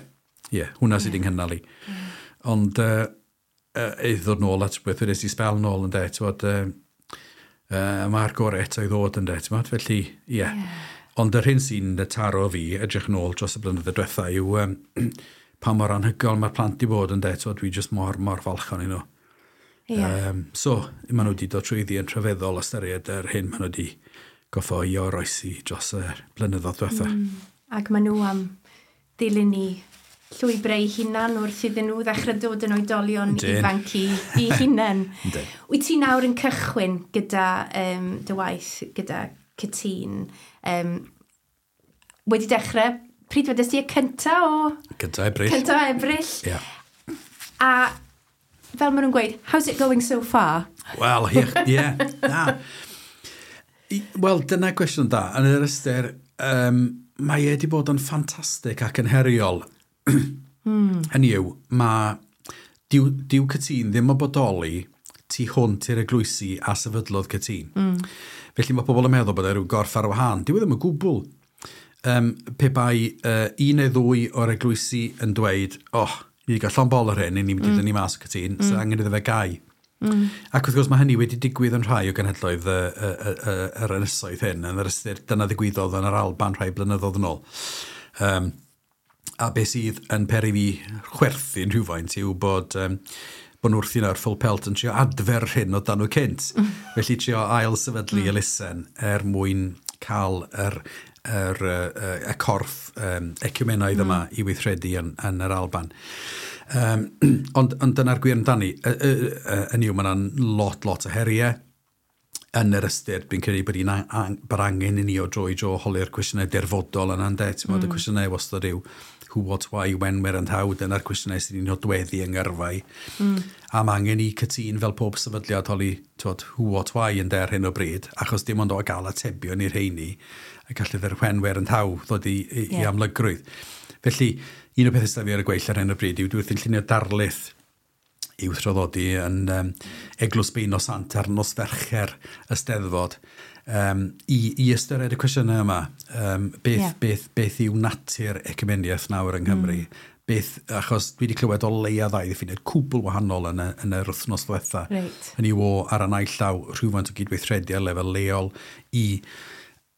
yeah, hwnna sydd wedi'n nghynnal i. Yeah. Ond uh, uh, i ddod nôl at beth wedes i sbel nôl yn de, ti'n gwbod, uh, uh, mae'r gorau eto i ddod yn de, ti'n gwbod? Felly, ie. Yeah. Yeah. Ond yr hyn sy'n taro fi, edrych nôl dros y blynyddoedd diwetha, yw um, pa mor anhygoel mae'r plant i bod yn de, ti'n gwbod, dwi jyst mor, mor falch ohonyn nhw. Yeah. Um, so, maen nhw wedi dod trwyddi yn rhyfeddol ystyried yr hyn maen nhw wedi goffo i oroesi dros y blynyddoedd diwetha. Mm. Ac maen nhw am ddilyn i llwybrau eu hunan wrth iddyn nhw ddechrau dod yn oedolion Ydyn. ifanc i, i hunain. Yndyn. Wyt ti nawr yn cychwyn gyda um, dy waith, gyda Cytûn? Um, wedi dechrau, pryd wedest ti, y cynta o? Cynta Ebrill. Cynta Ebrill. Ie. A fel maen nhw'n gweud, "How's it going so far?" Wel, ie, ie, na. I- Wel, dyna gwestiwn da. Yn yr ystyr, um, mae e wedi bod yn ffantastig ac yn heriol. mm. Hynny yw, mae dyw, dyw Cytûn ddim yn bodoli tu hwnt i'r eglwysi a sefydlodd Cytûn. Mm. Felly mae pobl yn meddwl bod e rhyw gorff ar wahân. Dyw e ddim yn gwbl. Um, pe bai uh, un neu ddwy o'r eglwysi yn dweud, "Oh, ni wedi cael llond bol ar hyn, ni'n mynd i mm. dynnu mas o Cytûn, mm. so angen iddo fe gau." Mm. Ac wrth gwrs mae hynny wedi digwydd yn rhai o genhedloedd y, y, y, y, yr ynysoedd hyn, yn yr ystyr dyna ddigwyddodd yn yr Alban rhai blynyddoedd yn ôl. Um, a beth sydd yn peri fi chwerthin rhywfaint yw bod, um, bod nhw wrthi'n ar full pelt yn trio adfer hyn o dan nhw cynt. Mm. Felly trio ail sefydlu mm. elusen er mwyn cael yr, yr, y, y, y corff um, eciwmenaidd mm. yma i weithredu yn, yn yr Alban. Um, ond, ond dyna'r gwir amdani. Yn yw, mae yna'n lot, lot o heriau yn yr ystyr, dwi'n credu bod, un ang, bod angen i ni o dro i dro holi'r cwestiynau dirfodol yna'n de. Ti'n mm. Y cwestiynau wastad yw who, what, why, when, where and how. Dyna'r cwestiynau sydd wedi'n nodweddu yng ngyrfau. Mm. A mae angen i Cytûn fel pob sefydliad holi, t'wod, who, what, why yn de ar hyn o bryd, achos dim ond o gael atebion i'r rheini, a gallu yr when, where and how ddod i, i, yeah. i amlygrwydd. Felly, un o'r pethau sydd fi ar y gweill ar hyn o bryd yw dwi wrthi'n llunio darlith i'w thraddodi yn um, Eglwys Beuno Sant ar nos Fercher y Steddfod um, i, i ystyried y cwestiynau yma. Um, beth, Ie. yeah. beth, beth yw natur ecumeniaeth nawr yng Nghymru? Mm. Beth, achos dwi wedi clywed o leia ddau ddiffiniad cwbl wahanol yn y, yn yr wythnos ddiwetha. Reit. Hynny yw o ar y naill llaw rhywfaint o gydweithredu ar lefel leol i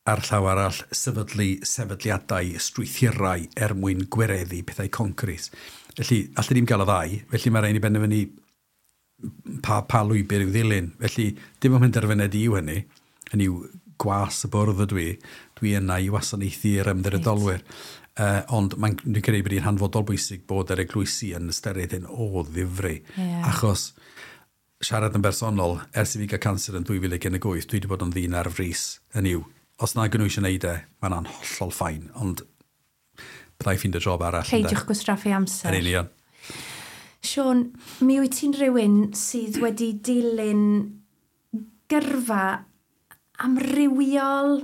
ar llaw arall sefydlu sefydliadau strwythurau er mwyn gwireddu pethau concret. Felly, allwn ni'm gael y ddau, felly mae rhaid i benderfynu pa, pa lwybr i'w ddilyn. Felly, dim ond penderfyniad i yw hynny. Hynny yw gwas y bwrdd ydw i. Dwi yna i wasanaethu'r ymddiriedolwyr. Uh, ond mae'n dwi'n credu bod hi'n hanfodol bwysig bod yr eglwysi yn ystyried hyn o ddifri. Ie. Achos siarad yn bersonol, ers i fi gael canser yn dwy fil ag un deg wyth, dwi wedi bod yn ddyn ar frys yn yw. Os na nhw eisiau gwneud e, mae'n hollol fine, ond byddai ffeindio job arall. Peidiwch gwastraffu amser. Yn union. Siôn, mi wyt ti'n rhywun sydd wedi dilyn gyrfa amrywiol,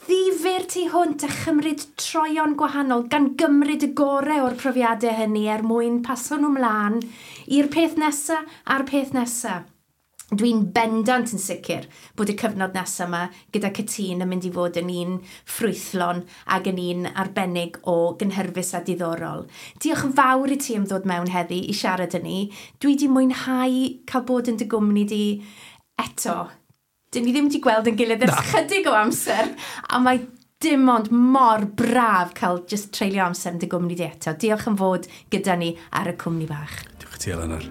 ddifyr tu hwnt a chymryd troion gwahanol, gan gymryd y gorau o'r profiadau hynny er mwyn paso nhw mlaen i'r peth nesaf a'r peth nesaf. Dwi'n bendant yn sicr bod y cyfnod nesaf yma gyda Cytûn yn mynd i fod yn un ffrwythlon ac yn un arbennig o gynhyrfus a diddorol. Diolch yn fawr i ti am ddod mewn heddi i siarad â ni. Dwi wedi mwynhau cael bod yn dy gwmni di eto. Dyn ni ddim wedi gweld yn gilydd ers chydig o amser, a mae dim ond mor braf cael just treulio amser yn dy gwmni di eto. Diolch am fod gyda ni ar y cwmni bach. Diolch i ti, Eleanor.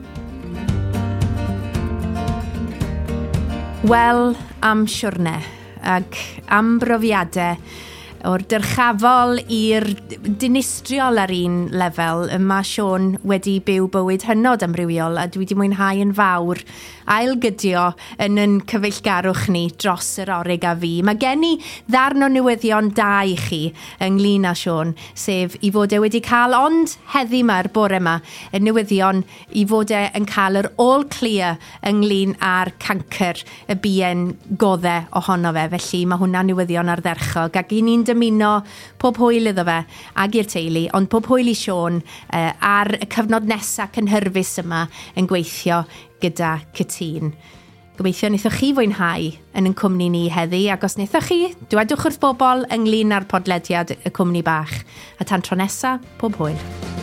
Wel, am siwrne ac am brofiadau o'r dyrchafol i'r dinistriol ar un lefel, mae Siôn wedi byw bywyd hynod amrywiol a dwi wedi mwynhau yn fawr ailgydio yn yn cyfeillgarwch ni dros yr orig a fi. Mae gen i ddarn o newyddion da i chi ynglyn â Siôn, sef i fod e wedi cael, ond heddi ma'r bore yma, y newyddion i fod e yn cael yr all clear ynglyn â'r cancr y bien godde ohono fe. Felly mae hwnna'n newyddion ardderchog ac i ni'n dymuno pob hwyl iddo fe ag i'r teulu, ond pob hwyl i Siôn uh, ar y cyfnod nesaf cynhyrfus yma yn gweithio gyda Cytûn. Gobeithio wnaethoch chi fwynhau yn yn cwmni ni heddi, ac os wnaethoch chi, dwedwch wrth bobl ynglyn â'r podlediad y cwmni bach. A tan tro nesa, pob hwyl.